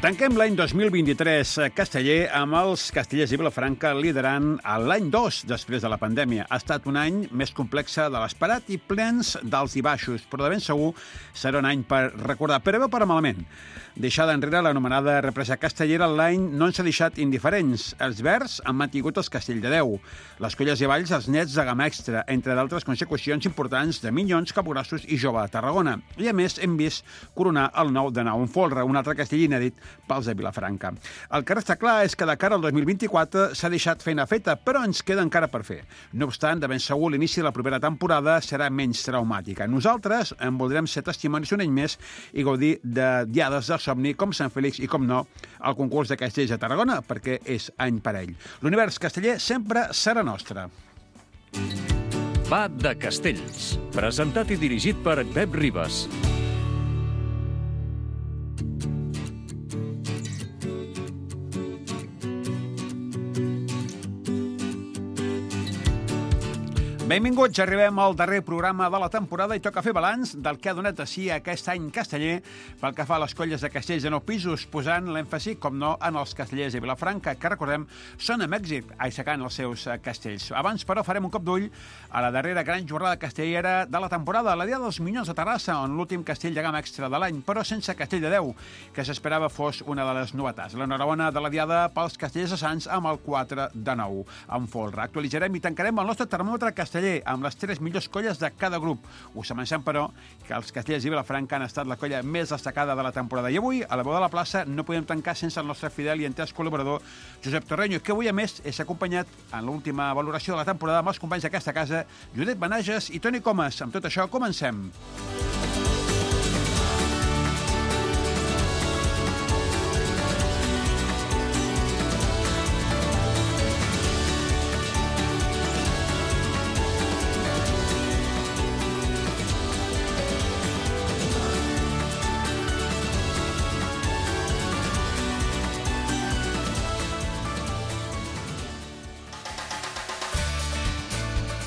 Tanquem l'any 2023 casteller amb els Castellers i Vilafranca liderant l'any 2 després de la pandèmia. Ha estat un any més complex de l'esperat i plens d'alts i baixos, però de ben segur serà un any per recordar, però bé o per malament. Deixada enrere l'anomenada represa castellera, l'any no ens ha deixat indiferents. Els verds han mantingut els Castell de Déu, les Colles i Valls els Nets de Gamma Extra, entre d'altres consecucions importants de Minyons, Capgrossos i Jove de Tarragona. I a més hem vist coronar el nou de Nou en Folre, un altre castell inèdit pels de Vilafranca. El que resta clar és que de cara al 2024 s'ha deixat feina feta, però ens queda encara per fer. No obstant, de ben segur l'inici de la propera temporada serà menys traumàtica. Nosaltres en voldrem ser testimonis un any més i gaudir de diades de somni com Sant Fèlix i, com no, el concurs de castells de Tarragona, perquè és any parell. L'univers casteller sempre serà nostre. Va de Castells, presentat i dirigit per Pep Ribas. Benvinguts, arribem al darrer programa de la temporada i toca fer balanç del que ha donat a si aquest any casteller pel que fa a les colles de castells de 9 pisos, posant l'èmfasi, com no, en els castellers de Vilafranca, que, recordem, són amb èxit aixecant els seus castells. Abans, però, farem un cop d'ull a la darrera gran jornada castellera de la temporada, la Diada dels Minyons de Terrassa, on l'últim castell de gamma extra de l'any, però sense castell de Déu, que s'esperava fos una de les novetats. L'enhorabona de la Diada pels castellers de Sants amb el 4 de 9 en folre. Actualitzarem i tancarem el nostre termòmetre casteller amb les 3 millors colles de cada grup. Us avancem, però, que els Castellers i Vilafranca han estat la colla més destacada de la temporada. I avui, a la veu de la plaça, no podem tancar sense el nostre fidel i entès col·laborador, Josep Torreño, que avui, a més, és acompanyat en l'última valoració de la temporada amb els companys d'aquesta casa, Judit Benages i Toni Comas. Amb tot això, comencem.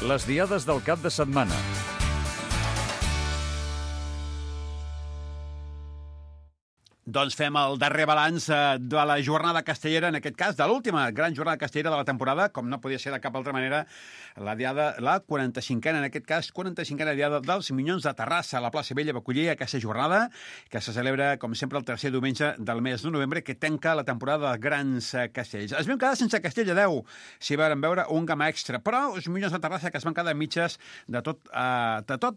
Les diades del cap de setmana. Doncs fem el darrer balanç de la jornada castellera, en aquest cas, de l'última gran jornada castellera de la temporada, com no podia ser de cap altra manera, la 45a, en aquest cas, 45a diada dels Minyons de Terrassa, a la plaça Vella, va acollir aquesta jornada, que se celebra, com sempre, el tercer diumenge del mes de novembre, que tanca la temporada dels grans castells. Es vam quedar sense castell de Déu, s'hi van veure un gamma extra, però els Minyons de Terrassa que es van quedar mitges de tot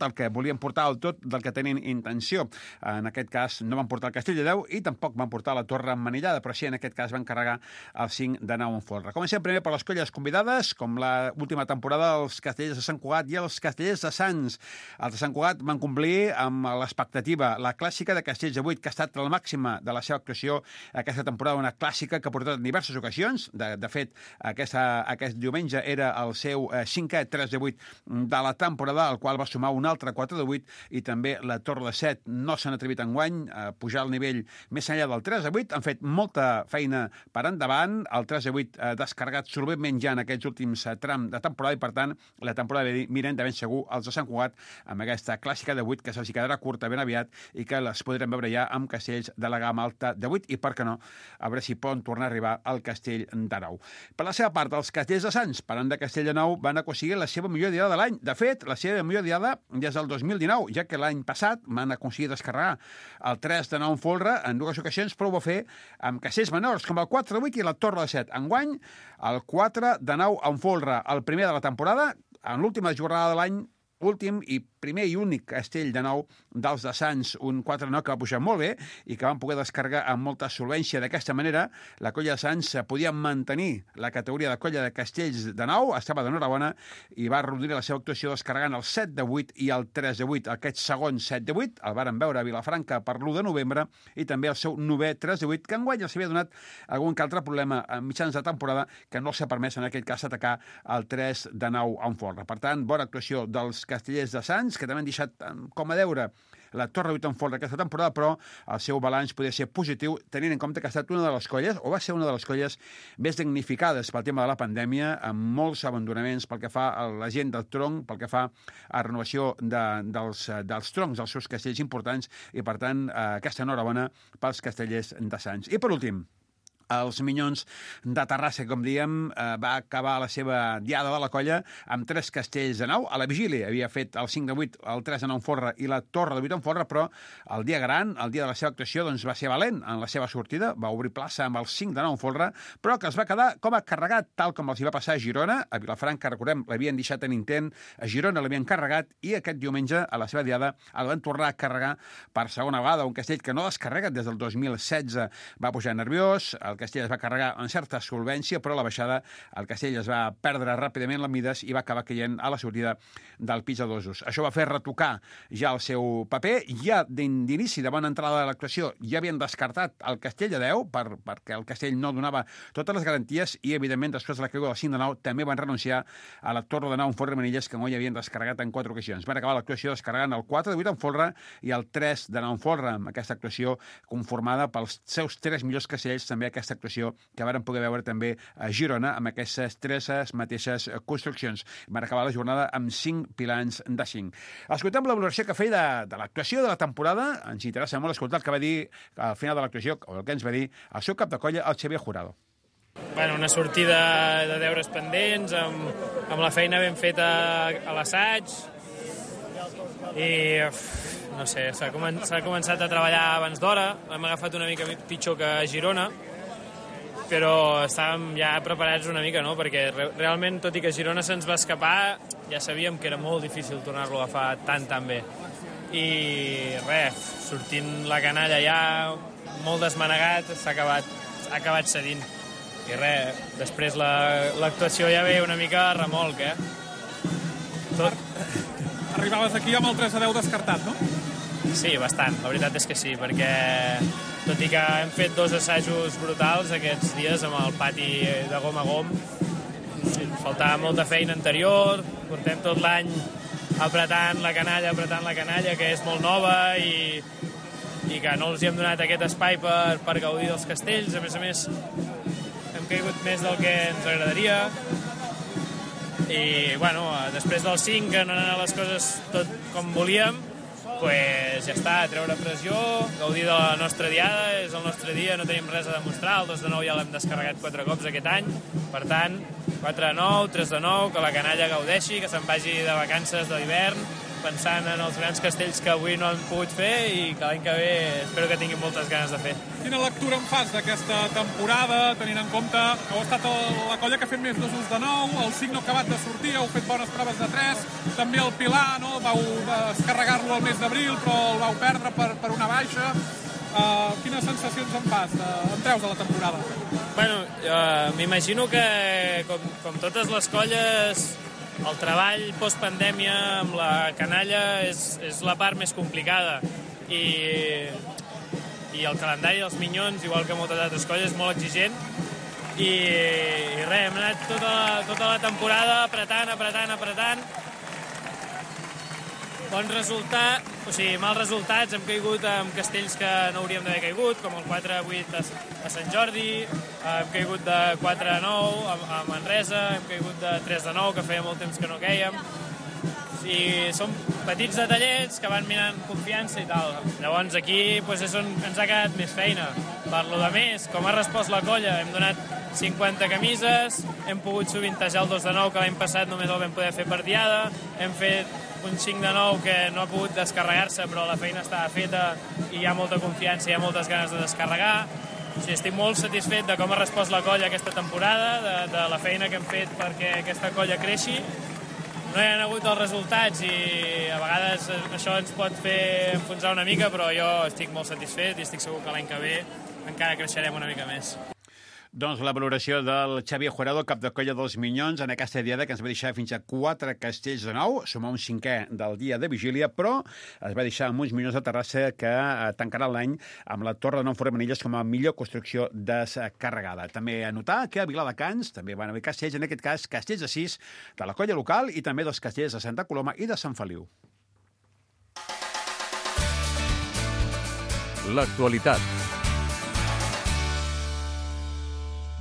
el que volien portar, el tot del que tenien intenció. En aquest cas, no van portar el castell de Déu i tampoc van portar la torre emmanillada, però sí, en aquest cas van carregar el 5 de 9 en folre. Comencem primer per les colles convidades, com l'última temporada, els Castellers de Sant Cugat i els Castellers de Sants. Els de Sant Cugat van complir amb l'expectativa, la clàssica de Castells de 8, que ha estat la màxima de la seva actuació aquesta temporada, una clàssica que ha portat en diverses ocasions. De fet, aquest diumenge era el seu 5è 3 de 8 de la temporada, al qual va sumar un altre 4 de 8, i també la torre de 7 no s'han atrevit enguany a pujar al nivell més enllà del 3 a 8, han fet molta feina per endavant, el 3 a 8 descarregat solventment ja en aquests últims tram de temporada, i per tant la temporada miren de ben segur els de Sant Cugat amb aquesta clàssica de 8 que se'ls quedarà curta ben aviat i que les podrem veure ja amb castells de la gamma alta de 8 i, per què no, a veure si poden tornar a arribar al castell de 9. Per la seva part, els castells de Sants, parlant de castell de 9, van aconseguir la seva millor diada de l'any. De fet, la seva millor diada des del 2019, ja que l'any passat van aconseguir descarregar el 3 de 9 en folre en dues ocasions, però ho va fer amb castells menors, com el 4 de 8 i la torre de 7. Enguany, el 4 de 9 en folre, el primer de la temporada, en l'última jornada de l'any, últim i primer i únic castell de 9 dels de Sants, un 4-9 que va pujar molt bé i que van poder descarregar amb molta solvència. D'aquesta manera, la colla de Sants podia mantenir la categoria de colla de castells de 9, estava d'enhorabona i va reduir la seva actuació descarregant el 7 de 8 i el 3 de 8. Aquest segon 7 de 8 el varen veure a Vilafranca per l'1 de novembre i també el seu 9è 3 de 8, que enguany els havia donat algun que altre problema a mitjans de temporada que no s'ha permès en aquest cas atacar el 3 de 9 en folre. Per tant, bona actuació dels castellers de Sants, que també han deixat com a deure la Torre de Buitenfolre aquesta temporada, però el seu balanç podia ser positiu, tenint en compte que ha estat una de les colles, o va ser una de les colles més damnificades pel tema de la pandèmia, amb molts abandonaments pel que fa a la gent del tronc, pel que fa a renovació dels troncs dels seus castells importants, i per tant aquesta enhorabona pels castellers de Sants. I per últim, els Minyons de Terrassa, com diem, va acabar la seva diada de la colla amb 3 castells de 9. A la vigília havia fet el 5 de 8, el 3 de 9 en Folre i la Torre de 8 en Folre, però el dia gran, el dia de la seva actuació, doncs va ser valent en la seva sortida, va obrir plaça amb el 5 de 9 en Folre, però que es va quedar com a carregat, tal com els hi va passar a Girona. A Vilafranca, recordem, l'havien deixat en intent, a Girona l'havien carregat, i aquest diumenge, a la seva diada, el van tornar a carregar per segona vegada. Un castell que no descarrega des del 2016, va pujar nerviós, el castell es va carregar amb certa solvència, però a la baixada el castell es va perdre ràpidament les mides i va acabar caient a la sortida del pis de dosos. Això va fer retocar ja el seu paper. Ja d'inici, de bona entrada de l'actuació, ja havien descartat el castell de 10 perquè el castell no donava totes les garanties, i evidentment després de la caiguda del 5 de 9 també van renunciar a la Torre de 9 en Folre Manilles, que no hi havien descarregat en 4 ocasions. Van acabar l'actuació descarregant el 4 de 8 en Folre i el 3 de 9 en Folre, amb aquesta actuació conformada pels seus 3 millors castells, també aquesta actuació que varen poder veure també a Girona amb aquestes 3 mateixes construccions. Van acabar la jornada amb 5 pilans de 5. Escoltem la valoració que feia de l'actuació de la temporada. Ens interessa molt escoltar el que va dir al final de l'actuació, o el que ens va dir el seu cap de colla, el Xavier Jurado. Bueno, una sortida de deures pendents, amb la feina ben feta a l'assaig, i no sé, s'ha començat a treballar abans d'hora. Hem agafat una mica pitjor que a Girona, però estàvem ja preparats una mica, no? Perquè realment, tot i que Girona se'ns va escapar, ja sabíem que era molt difícil tornar-lo a agafar tan bé. I res, sortint la canalla ja molt desmanegat, ha acabat cedint. I res, després l'actuació ja ve una mica a remolc, Arribaves aquí amb el 3 a 10 descartat, no? Sí, bastant, la veritat és que sí, perquè tot i que hem fet 2 assajos brutals aquests dies amb el pati de gom a gom, faltava molta feina anterior, portem tot l'any apretant la canalla, que és molt nova, i que no els hi hem donat aquest espai per gaudir dels castells. A més, hem caigut més del que ens agradaria, i bueno, després del 5, que no han anat les coses tot com volíem, pues ja està, treure pressió, gaudir de la nostra diada, és el nostre dia, no tenim res a demostrar. El 2 de 9 ja l'hem descarregat 4 cops aquest any, per tant, 4 de 9, 3 de 9, que la canalla gaudeixi, que se'n vagi de vacances de l'hivern, pensant en els grans castells que avui no han pogut fer, i que l'any que ve espero que tinguin moltes ganes de fer. Quina lectura en fas d'aquesta temporada, tenint en compte que heu estat la colla que ha fet més dosos de 9, el 5 no ha acabat de sortir, heu fet bones proves de 3, també el Pilar, no? Vau descarregar-lo al mes d'abril, però el vau perdre per una baixa. Quines sensacions en fas? En treus de la temporada? Bueno, m'imagino que, com totes les colles, el treball postpandèmia amb la canalla és la part més complicada, i el calendari dels Minyons, igual que moltes altres colles, és molt exigent, i res, hem anat tota la temporada apretant. Bon resultat, o sigui, mals resultats, hem caigut amb castells que no hauríem d'haver caigut, com el 4-8 a Sant Jordi, hem caigut de 4-9 a Manresa, hem caigut de 3-9, que feia molt temps que no quèiem. I són petits detallets que van mirant confiança i tal. Llavors aquí és on ens ha quedat més feina. Per lo de més, com ha respost la colla, hem donat 50 camises, hem pogut sovintejar el 2 de 9, que l'any passat només el vam poder fer per diada, hem fet un 5 de 9 que no ha pogut descarregar-se, però la feina estava feta i hi ha molta confiança, hi ha moltes ganes de descarregar. O sigui, estic molt satisfet de com ha respost la colla aquesta temporada, de la feina que hem fet perquè aquesta colla creixi. No hi ha hagut els resultats i a vegades això ens pot fer enfonsar una mica, però jo estic molt satisfet i estic segur que l'any que ve encara creixerem una mica més. Doncs la valoració del Xavier Jurado, cap de colla dels Minyons, en aquesta diada que ens va deixar fins a 4 castells de 9, sumar un 5è del dia de vigília, però es va deixar amb uns Minyons de Terrassa que tancarà l'any amb la Torre de 9 Folre Manilles com a millor construcció descarregada. També a notar que a Viladecans també van haver castells, en aquest cas castells de 6 de la colla local i també dels castells de Santa Coloma i de Sant Feliu. l'actualitat.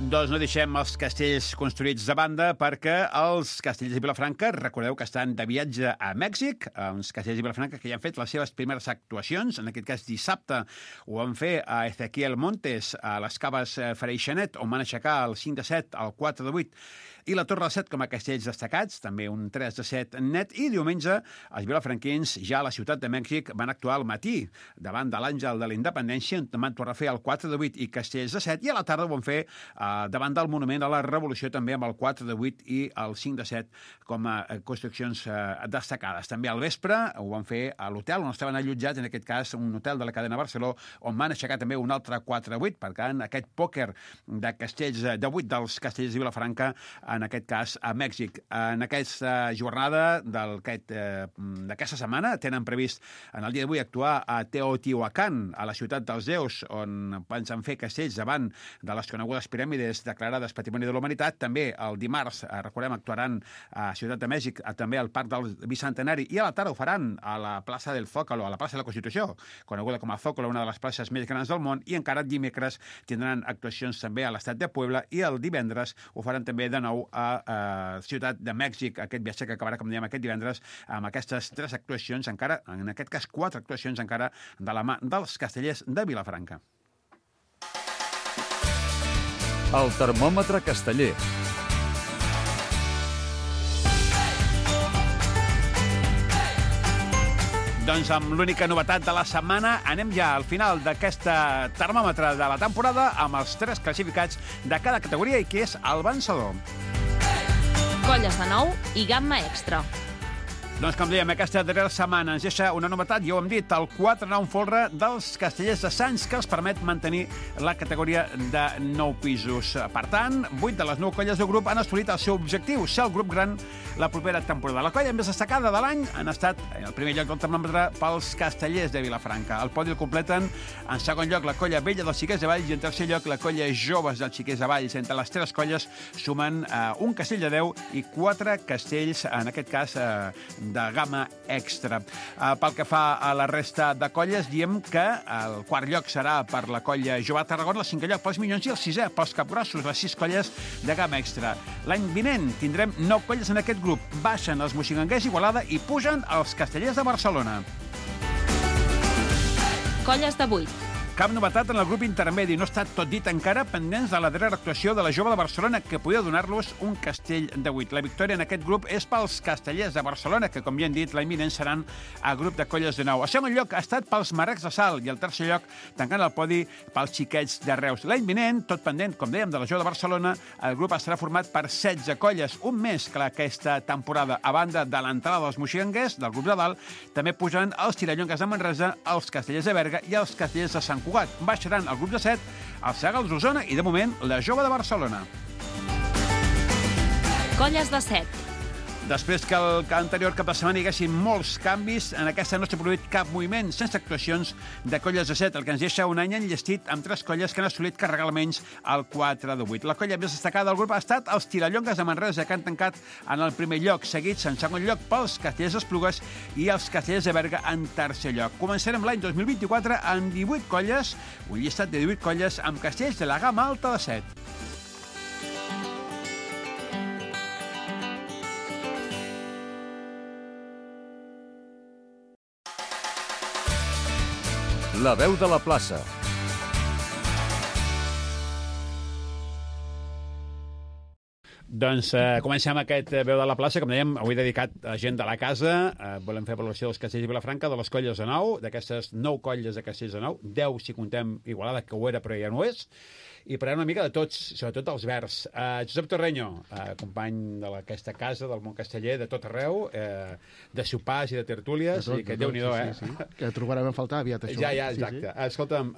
Doncs no deixem els castells construïts de banda perquè els castells de Vilafranca, recordeu que estan de viatge a Mèxic, uns castells de Vilafranca que ja han fet les seves primeres actuacions, en aquest cas dissabte ho van fer a Ezequiel Montes, a les Caves Freixenet, on van aixecar el 5-7, el 4-8, i la Torre del 7 com a castells destacats, també un 3-7 net, i diumenge els vilafranquins ja a la ciutat de Mèxic van actuar al matí davant de l'Àngel de la Independència, on van tornar a fer el 4-8 i castells de 7, i a la tarda ho van fer davant del Monument a la Revolució també amb el 4-8 i el 5-7 com a construccions destacades. També al vespre ho van fer a l'hotel on estaven allotjats, en aquest cas un hotel de la cadena Barceló, on van aixecar també un altre 4-8, per tant aquest pòquer de castells de 8 dels castells de Vilafranca, en aquest cas a Mèxic. En aquesta jornada d'aquesta setmana tenen previst en el dia d'avui actuar a Teotihuacán, a la ciutat dels déus, on pensen fer castells davant de les conegudes piràmides declarades Patrimoni de la Humanitat. També el dimarts, recordem, actuaran a Ciutat de Mèxic, també al Parc del Bicentenari, i a la tarda ho faran a la plaça del Zócalo, a la plaça de la Constitució, coneguda com a Zócalo, una de les places més grans del món, i encara dimecres tindran actuacions també a l'estat de Puebla, i el divendres ho faran també de nou a Ciutat de Mèxic, aquest viatge que acabarà, com dèiem, aquest divendres, amb aquestes 3 actuacions, encara, en aquest cas 4 actuacions encara, de la mà dels castellers de Vilafranca. El termòmetre casteller. Doncs amb l'única novetat de la setmana anem ja al final d'aquest termòmetre de la temporada amb els 3 classificats de cada categoria i qui és el vencedor. Colles de nou i gamma extra. Doncs, com dèiem, aquesta darrera setmana ens deixa una novetat, ja ho hem dit, el 4-9 folre dels castellers de Sants, que els permet mantenir la categoria de 9 pisos. Per tant, 8 de les 9 colles del grup han assolit el seu objectiu, ser el grup gran la propera temporada. La colla més destacada de l'any han estat, en el primer lloc del termòmetre, pels castellers de Vilafranca. El podi el completen, en segon lloc, la colla vella dels Xiquers de Valls, i en tercer lloc, la colla joves dels Xiquers de Valls. Entre les 3 colles sumen un castell de 10 i 4 castells, en aquest cas, de gamma extra. Pel que fa a la resta de colles, diem que el 4 lloc serà per la colla Jove de Tarragona, el 5è lloc pels Minyons i el 6è pels Capgrossos, les 6 colles de gamma extra. L'any vinent tindrem 9 colles en aquest grup. Baixen els moixiganders d'Igualada i pugen els castellers de Barcelona. Colles de 8. Cap novetat en el grup intermedi. No està tot dit encara, pendents de la darrera actuació de la Jove de Barcelona, que podia donar-los un castell de 8. La victòria en aquest grup és pels castellers de Barcelona, que, com ja hem dit, l'any vinent seran a grup de colles de 9. El segon lloc ha estat pels Marrecs de Salt i el tercer lloc, tancant el podi, pels Xiquets de Reus. L'any vinent, tot pendent, com dèiem, de la Jove de Barcelona, el grup estarà format per 16 colles, un més que aquesta temporada. A banda de l'entrada dels moixiganders, del grup de dalt, també pujaran els Tirallongues de Manresa, els castellers de Berga i els castellers de Sant Cugat. Baixaran el grup de 7, el Segals d'Osona i, de moment, la Jove de Barcelona. Colles de 7. Després que el anterior cap de setmana hi haguessin molts canvis, en aquesta no s'ha produït cap moviment, sense actuacions de colles de 7, el que ens deixa un any enllestit amb 3 colles que han assolit carregar almenys el 4 de 8. La colla més destacada del grup ha estat els Tirallongues de Manresa, que han tancat en el primer lloc, seguits en segon lloc pels castellers d'Esplugues i els castellers de Berga en tercer lloc. Començarem l'any 2024 amb 18 colles, un llistat de 18 colles amb castells de la gamma alta de 7. La veu de la plaça. Doncs comencem aquest veu de la plaça, com dèiem, avui dedicat a gent de la casa. Volem fer valoració dels castells de Vilafranca, de les colles de 9, d'aquestes 9 colles de castells de 9, 10 si contem Igualada, que ho era però ja no és, i parlarem una mica de tots, sobretot dels verds. Josep Torreño, company d'aquesta casa, del món casteller, de tot arreu, de sopars i de tertúlies, i que Déu-n'hi-do, sí. Que trobarem a faltar aviat, això. Ja, exacte. Sí. Escolta'm,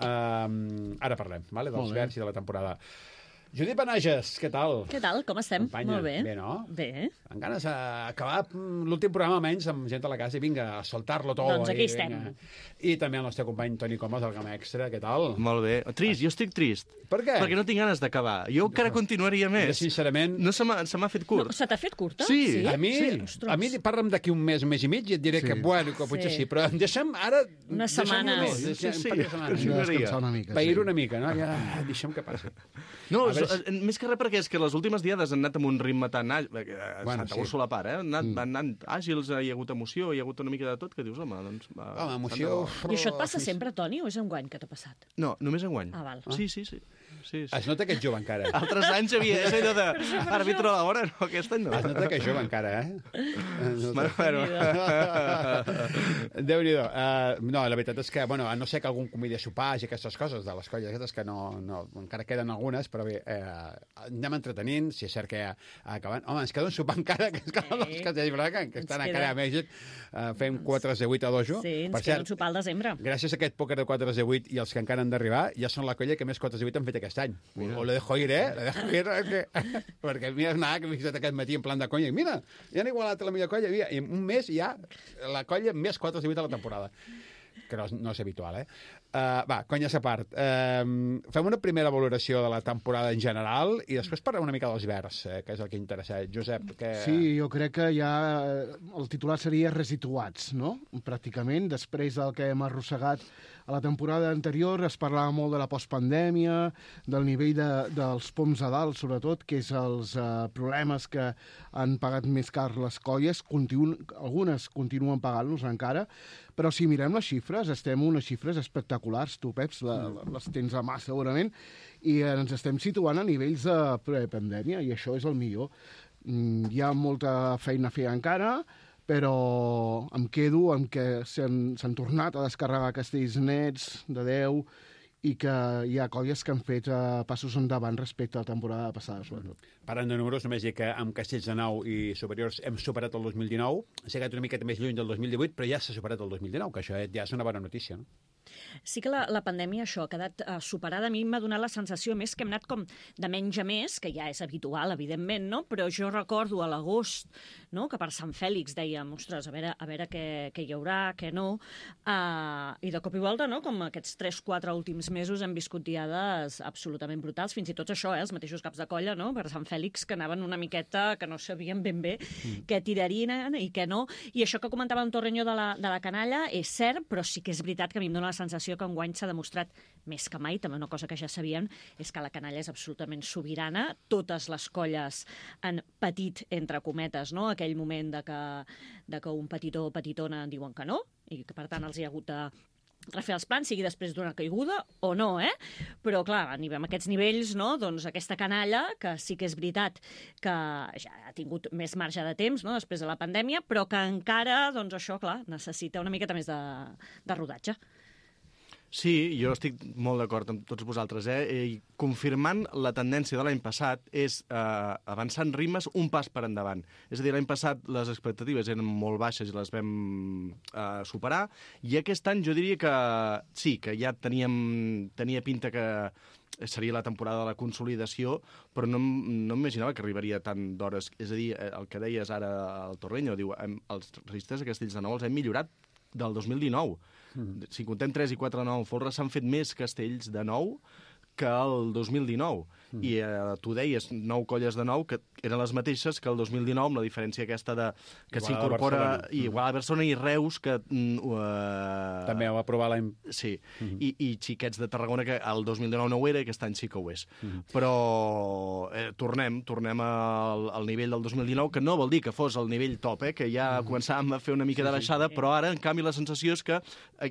ara parlem, vale, dels verds i de la temporada. Judit Benages, què tal? Què tal? Com estem? Companya. Molt bé. Bé, no? Bé. Amb ganes d'acabar l'últim programa almenys amb gent a la casa i vinga, a soltar-lo tot. Doncs aquí estem. I també el nostre company Toni Comas, del Gama Extra, què tal? Molt bé. Trist, jo estic trist. Per què? Perquè no tinc ganes d'acabar. Jo encara continuaria Jo, més. sincerament... No se m'ha fet curt. No, se t'ha fet curta? Sí. A mi, Ostres. a mi parla'm d'aquí un mes i mig i et diré que, bueno, que potser sí, però deixa'm ara... Una setmana. Sí, Deixa'm Descansar una mica, pair una mica, no? Ja, deixa'm que passi. No, A veure més que res perquè és que les últimes diades han anat amb un ritme tan àgil, Bueno, Santa sí. Úrsula a part, han anat àgils, hi ha hagut emoció, hi ha hagut una mica de tot, que dius, home, doncs... Home, emoció... I això et passa sempre, Toni, o és enguany que t'ha passat? No, només enguany. Ah, val. Sí. Es nota que ets jove encara. Altres anys havia... És allò de... Àrbitro a l'hora, no, aquest any no. Es nota que és jove encara, Bueno, Déu-n'hi-do. No, la veritat és que, bueno, a no ser que algun convidi a sopars i aquestes coses de les colles aquestes, que no, encara queden algunes, però bé, anem entretenint, si és cert que acabant... Home, ens queda un sopar encara, que és que els castells Braga, que estan encara a Mèxic, fem 4-8 a dojo. Sí, ens Per queda cert, un sopar al desembre. gràcies a aquest pòquer de 4-8 i els que encara han d'arribar, ja són la colla que més 4-8 han fet aquest any. O lo dejo ir, Lo dejo ir, perquè mira, nada, que m'he fixat aquest matí en plan de conya. I mira, ja han igualat la millor colla. I en un mes ja la colla més 4-8 a la temporada. Que no és habitual, Va, conyes a part. Fem una primera valoració de la temporada en general i després parlem una mica dels Verds, que és el que interessa. Josep, que... Sí, jo crec que ja el titular seria resituats, no? Pràcticament, després del que hem arrossegat a la temporada anterior, es parlava molt de la postpandèmia, del nivell dels poms a dalt, sobretot, que és els problemes que han pagat més car les colles. Algunes continuen pagant-los encara, però si mirem les xifres, estem en unes xifres espectaculars. Tu, Peps, les tens a mà segurament, i ens estem situant a nivells de prepandèmia, i això és el millor. Hi ha molta feina a fer encara, però em quedo amb que s'han tornat a descarregar castells nets de 10 i que hi ha colles que han fet passos endavant respecte a la temporada passada, sobretot. Parlant de números, només dir que amb castells de 9 i superiors hem superat el 2019, s'ha quedat una miqueta més lluny del 2018, però ja s'ha superat el 2019, que això ja és una bona notícia, no? Sí que la pandèmia, això, ha quedat superada. A mi m'ha donat la sensació, més, que hem anat com de menys a més, que ja és habitual, evidentment, no? Però jo recordo a l'agost, no?, que per Sant Fèlix dèiem, ostres, a veure què hi haurà, què no, i de cop i volta, no?, com aquests 3-4 últims mesos hem viscut diades absolutament brutals, fins i tot això, els mateixos caps de colla, no?, per Sant Fèlix, que anaven una miqueta, que no sabien ben bé què tirarien i què no. I això que comentava en Torreño de la canalla és cert, però sí que és veritat que a mi em dóna la sensació que enguany s'ha demostrat més que mai, també una cosa que ja sabien, és que la canalla és absolutament sobirana. Totes les colles han patit, entre cometes, no?, aquell moment de que un petitó o petitona diuen que no, i que per tant els hi ha hagut de refer els plans, sigui després d'una caiguda o no, Però, clar, amb aquests nivells, no?, doncs aquesta canalla, que sí que és veritat que ja ha tingut més marge de temps, no?, després de la pandèmia, però que encara, doncs això, clar, necessita una miqueta més de rodatge. Sí, jo estic molt d'acord amb tots vosaltres, I confirmant la tendència de l'any passat és avançar en ritmes un pas per endavant. És a dir, l'any passat les expectatives eren molt baixes i les vam superar, i aquest any jo diria que sí, que ja tenia pinta que seria la temporada de la consolidació, però no m'imaginava que arribaria tant d'hores. És a dir, el que deies ara al Torreño, diu, els registres de castells de nou els hem millorat del 2019. Si contem 3 i 4 de 9 folres, s'han fet més castells de 9 que el 2019. I tu deies 9 colles de 9, que eren les mateixes que el 2019, amb la diferència aquesta que s'incorpora igual a Barcelona i Reus, que... També ho va aprovar l'any... Sí, i xiquets de Tarragona, que el 2019 no ho era i aquest any sí que ho és. Però tornem al nivell del 2019, que no vol dir que fos el nivell top, que ja començàvem a fer una mica de baixada, però ara, en canvi, la sensació és que,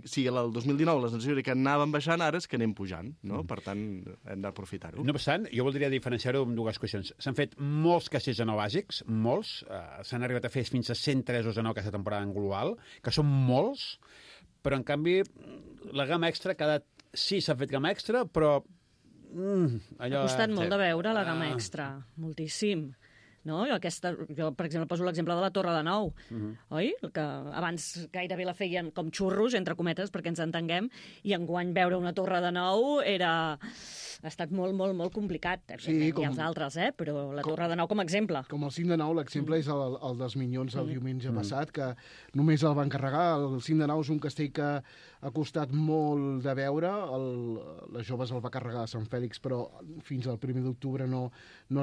si el 2019 la sensació era que anàvem baixant, ara és que anem pujant, no? Per tant, hem d'aprofitar-ho. No obstant, jo voldria diferenciar-ho amb dues qüestions. S'han fet molts castells de 9 bàsics, molts. S'han arribat a fer fins a 103 de 9 aquesta temporada en global, que són molts, però en canvi la gamma extra ha quedat... Sí, s'ha fet gamma extra, però... Ha costat molt de veure la gamma extra, moltíssim. no? Jo, per exemple, poso l'exemple de la Torre de Nou, oi? Que abans gairebé la feien com xurros, entre cometes, perquè ens entenguem, i enguany veure una Torre de Nou ha estat molt, molt, molt complicat. Sí, Hi ha els altres, però la Torre de Nou com a exemple. Com el 5 de Nou, l'exemple és el dels Minyons el diumenge passat, que només el van carregar. El 5 de Nou és un castell que ha costat molt de veure. Les joves el va carregar a Sant Fèlix, però fins al 1 d'octubre no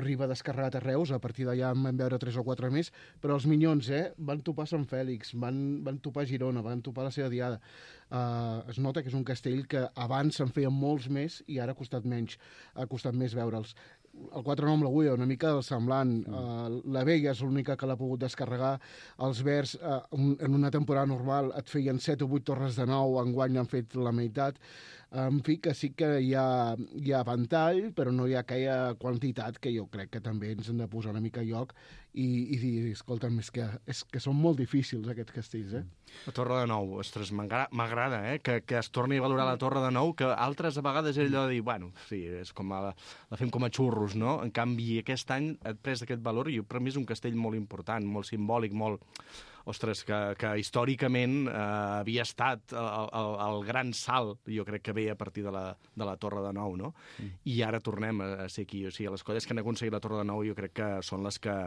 arriba descarregat a Reus. A partir d'allà en van veure 3 o 4 més. Però els Minyons van topar Sant Fèlix, van topar Girona, van topar la seva diada. Es nota que és un castell que abans se'n feien molts més i ara ha costat més veure'ls. El 4-9 amb l'Agulla, una mica semblant. La Vella és l'única que l'ha pogut descarregar. Els Verds, en una temporada normal, et feien 7 o 8 torres de nou, enguany han fet la meitat. En fi, que sí que hi ha ventall, però no hi ha aquella quantitat que jo crec que també ens hem de posar una mica a lloc i dir, escolta'm, és que són molt difícils aquests castells, La Torre de Nou, ostres, m'agrada, que es torni a valorar la Torre de Nou, que altres a vegades és allò de dir, bueno, sí, és com la fem com a xurros, no? En canvi, aquest any ha pres aquest valor i per mi és un castell molt important, molt simbòlic, molt... Ostres, que històricament havia estat el gran salt, jo crec que ve a partir de la Torre de Nou, no? I ara tornem a ser aquí. O sigui, les colles que han aconseguit la Torre de Nou jo crec que són les que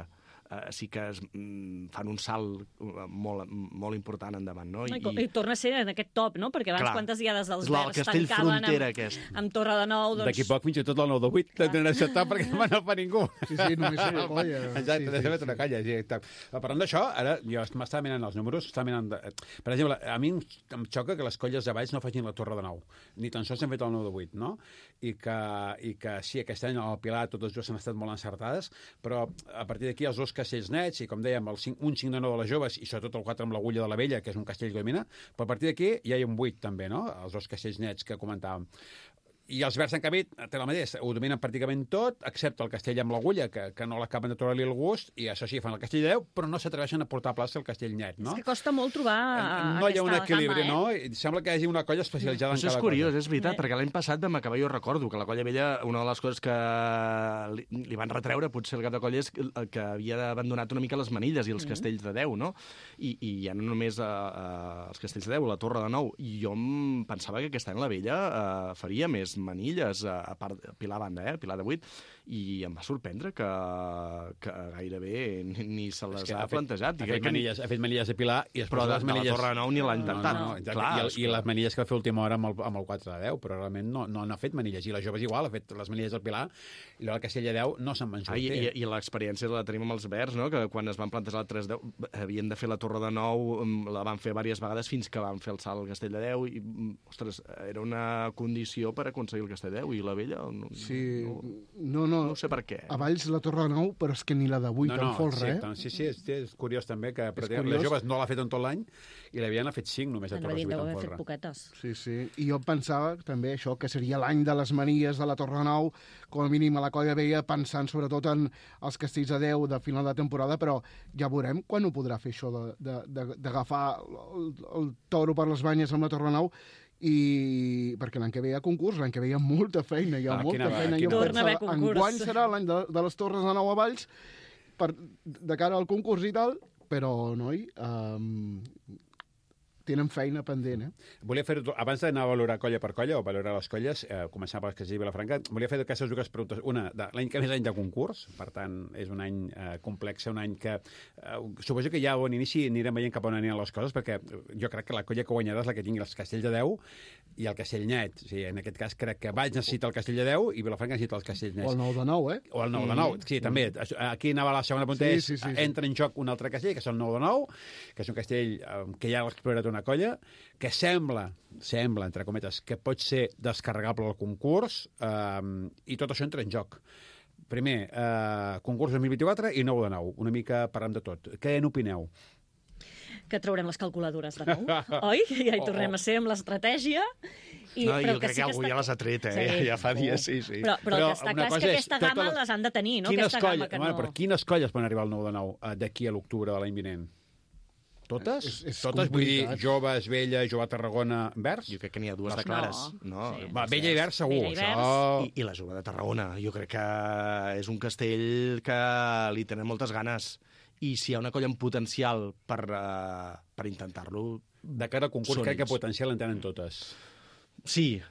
sí que fan un salt molt important endavant, no? I torna a ser en aquest top, no? Perquè abans quantes diades dels Verds tancaven amb Torre de Nou... D'aquí poc fins i tot el 9 de 8 tenen acceptat perquè no no fa ningú. Sí, només una colla. Exacte, sí. Una colla. Parlant d'això, ara jo m'estava mirant els números, per exemple, a mi em xoca que les colles de Valls no facin la Torre de Nou, ni tan sols han fet el 9 de 8, no? I que sí, aquest any al Pilar totes dues han estat molt encertades, però a partir d'aquí els dos castells nets, i com dèiem, un 5 de 9 de les joves, i sobretot el 4 amb l'Agulla de la Vella, que és un castell que domina, però a partir d'aquí ja hi ha un 8 també, no? Els dos castells nets que comentàvem. I els Verds, en canvi, té la mateixa, ho dominen pràcticament tot, excepte el castell amb l'Agulla, que no l'acaben de trobar-li el gust, i això sí, fan el castell de 10, però no s'atreveixen a portar a plaça el castell net, no? És que costa molt trobar no hi ha un equilibri, gamma, no? I sembla que hi hagi una colla especialitzada en cada cosa. És curiós, és veritat, perquè l'any passat vam acabar, jo recordo, que la colla vella, una de les coses que li van retreure, potser el cap de colla, és que havia abandonat una mica les manilles i els castells de 10, no? I ja no només els castells de 10, la Torre de Nou. I jo em pensava que aquest any la vella faria més manilles, a part de Pilar banda, Pilar de 8, i em va sorprendre que gairebé ni se les ha plantejat. Ha fet manilles de Pilar, i però de la Torre de Nou ni l'ha intentat. I les manilles que va fer última hora amb el 4 de 10, però realment no ha fet manilles. I les joves igual, ha fet les manilles del Pilar, i el castell de 10 no se'n van sortir. I l'experiència la tenim amb els Verds, no? Que quan es van plantejar el 3 de 10 havien de fer la Torre de Nou, la van fer diverses vegades fins que van fer el salt al castell de 10, i, ostres, era una condició per aconseguir el castell de 10, i la vella no sé per què. A Valls la Torre de Nou, però és que ni la de 8 en folre, Sí, és curiós també que les joves no l'ha fet en tot l'any i la vella n'ha fet 5 només a Torres 8 en folre. Poquetes. Sí. I jo pensava també això, que seria l'any de les manilles de la Torre de Nou, com a mínim a la colla vella, pensant sobretot en els castells de 10 de final de temporada, però ja veurem quan ho podrà fer això d'agafar el toro per les banyes amb la Torre de Nou, i perquè l'any que ve hi ha concurs, l'any que ve hi ha molta feina, enguany serà l'any de les Torres de Nou a Valls de cara al concurs i tal, però noi tenen feina pendent, Volia fer-ho, abans d'anar a valorar colla per colla, o valorar les colles, començar per les que es diu Vilafranca, volia fer aquestes dues preguntes. Una, l'any que ve és l'any de concurs, per tant, és un any complex, un any que suposo que ja a bon inici anirem veient cap on aniran les coses, perquè jo crec que la colla que guanyarà és la que tingui els castells de 10 i el castell net. O sigui, en aquest cas crec que Valls necessita el castell de 10 i Vilafranca necessita els castells nets. O el 9 de 9, O el 9 de 9, sí, també. Aquí anava la segona punta, entra en joc un altre castell, que és el 9 de 9, que és un castell que ja l'ha explorat una colla, que sembla, entre cometes, que pot ser descarregable al concurs, i tot això entra en joc. Primer, concurs 2024 i 9 de 9. Una mica parlant de tot. Què n'opineu? Que traurem les calculadores de nou, oi? Ja hi tornem a ser amb l'estratègia. Jo crec que algú ja les ha tret, ja fa dies, sí. Però el que està clar és que aquesta gamma les han de tenir, no? Però quines colles poden arribar al 9 de 9 d'aquí a l'octubre de l'any vinent? Totes? És Totes, vull dir, complicat. joves, vella, jove Tarragona, vers? Jo crec que n'hi ha dues de clares. No? Sí. Va, vella i vers segur, Vella i vers. això... I la jove de Tarragona. Jo crec que és un castell que li tenen moltes ganes. I si hi ha una colla amb potencial per intentar-lo... De cara al concurs, Són crec que ells. potencial en tenen totes. Sí,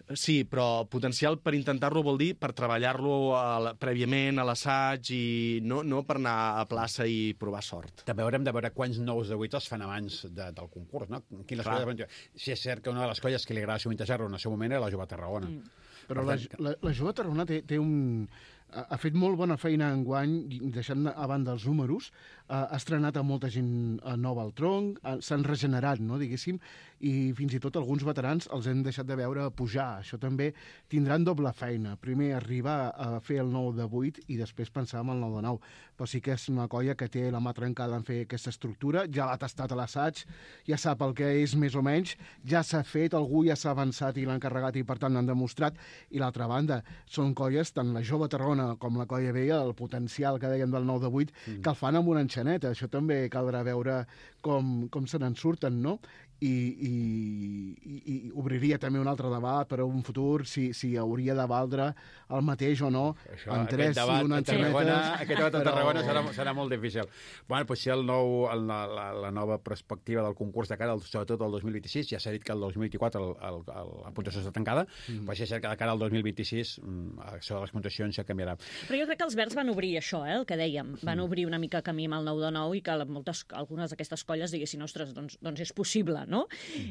però potencial per intentar-lo vol dir per treballar-lo prèviament a l'assaig i no per anar a plaça i provar sort. També haurem de veure quants nous de 8 es fan abans del concurs, no? Quines Clar. colles... Si és cert que una de les colles que li agrada sovintejar-lo en el seu moment era la Jove Tarragona. Però Per la Jove Tarragona té un... Ha fet molt bona feina enguany, deixant a banda els números, ha estrenat a molta gent nova al tronc, s'han regenerat, no, diguéssim, i fins i tot alguns veterans els hem deixat de veure pujar. Això també tindran doble feina. Primer arribar a fer el 9 de 8 i després pensar en el 9 de 9. Però sí que és una colla que té la mà trencada en fer aquesta estructura, ja l'ha tastat a l'assaig, ja sap el que és més o menys, ja s'ha fet, algú ja s'ha avançat i l'ha encarregat i per tant l'han demostrat. I l'altra banda, són colles, tant la Jove Tarragona com la colla vella, el potencial que dèiem del 9 de 8, que el fan amb una enxaneta. Això també caldrà veure com se n'en surten, no? I obriria també un altre debat per a un futur, si hauria de valdre el mateix o no, en tres i una enxaneta. Aquest debat a Tarragona serà molt difícil. Bueno, potser la nova perspectiva del concurs de cara, sobretot al 2026, ja s'ha dit que el 2024 la puntuació està tancada, però sí és cert que de cara al 2026 això de les puntuacions ja canviarà. Però jo crec que els Verds van obrir això, el que dèiem. Van obrir una mica camí amb el 9 de 9 i que algunes d'aquestes colles diguessin, ostres, doncs és possible, no?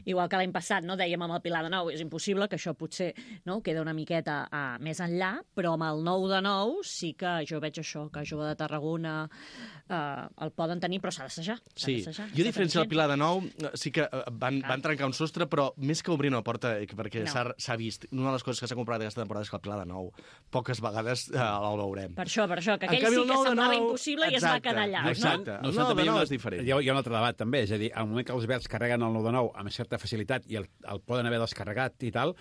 Igual que l'any passat, no, dèiem amb el Pilar de 9, és impossible, que això potser no, queda una miqueta més enllà, però amb el 9 de 9 sí que jo veig això, que Jove de Tarragona el poden tenir, però s'ha d'assajar. Sí, jo a diferència del Pilar de Nou, sí que van trencar un sostre, però més que obrir una porta, perquè s'ha vist, una de les coses que s'ha comprat aquesta temporada és que el Pilar de Nou poques vegades el veurem. Per això, que aquell sí que semblava impossible i es va quedar allà. Exacte, el 9 de 9 és diferent. Hi ha un altre debat també, és a dir, al moment que els Verds carreguen el 9 de 9 amb certa facilitat i el poden haver descarregat i tal,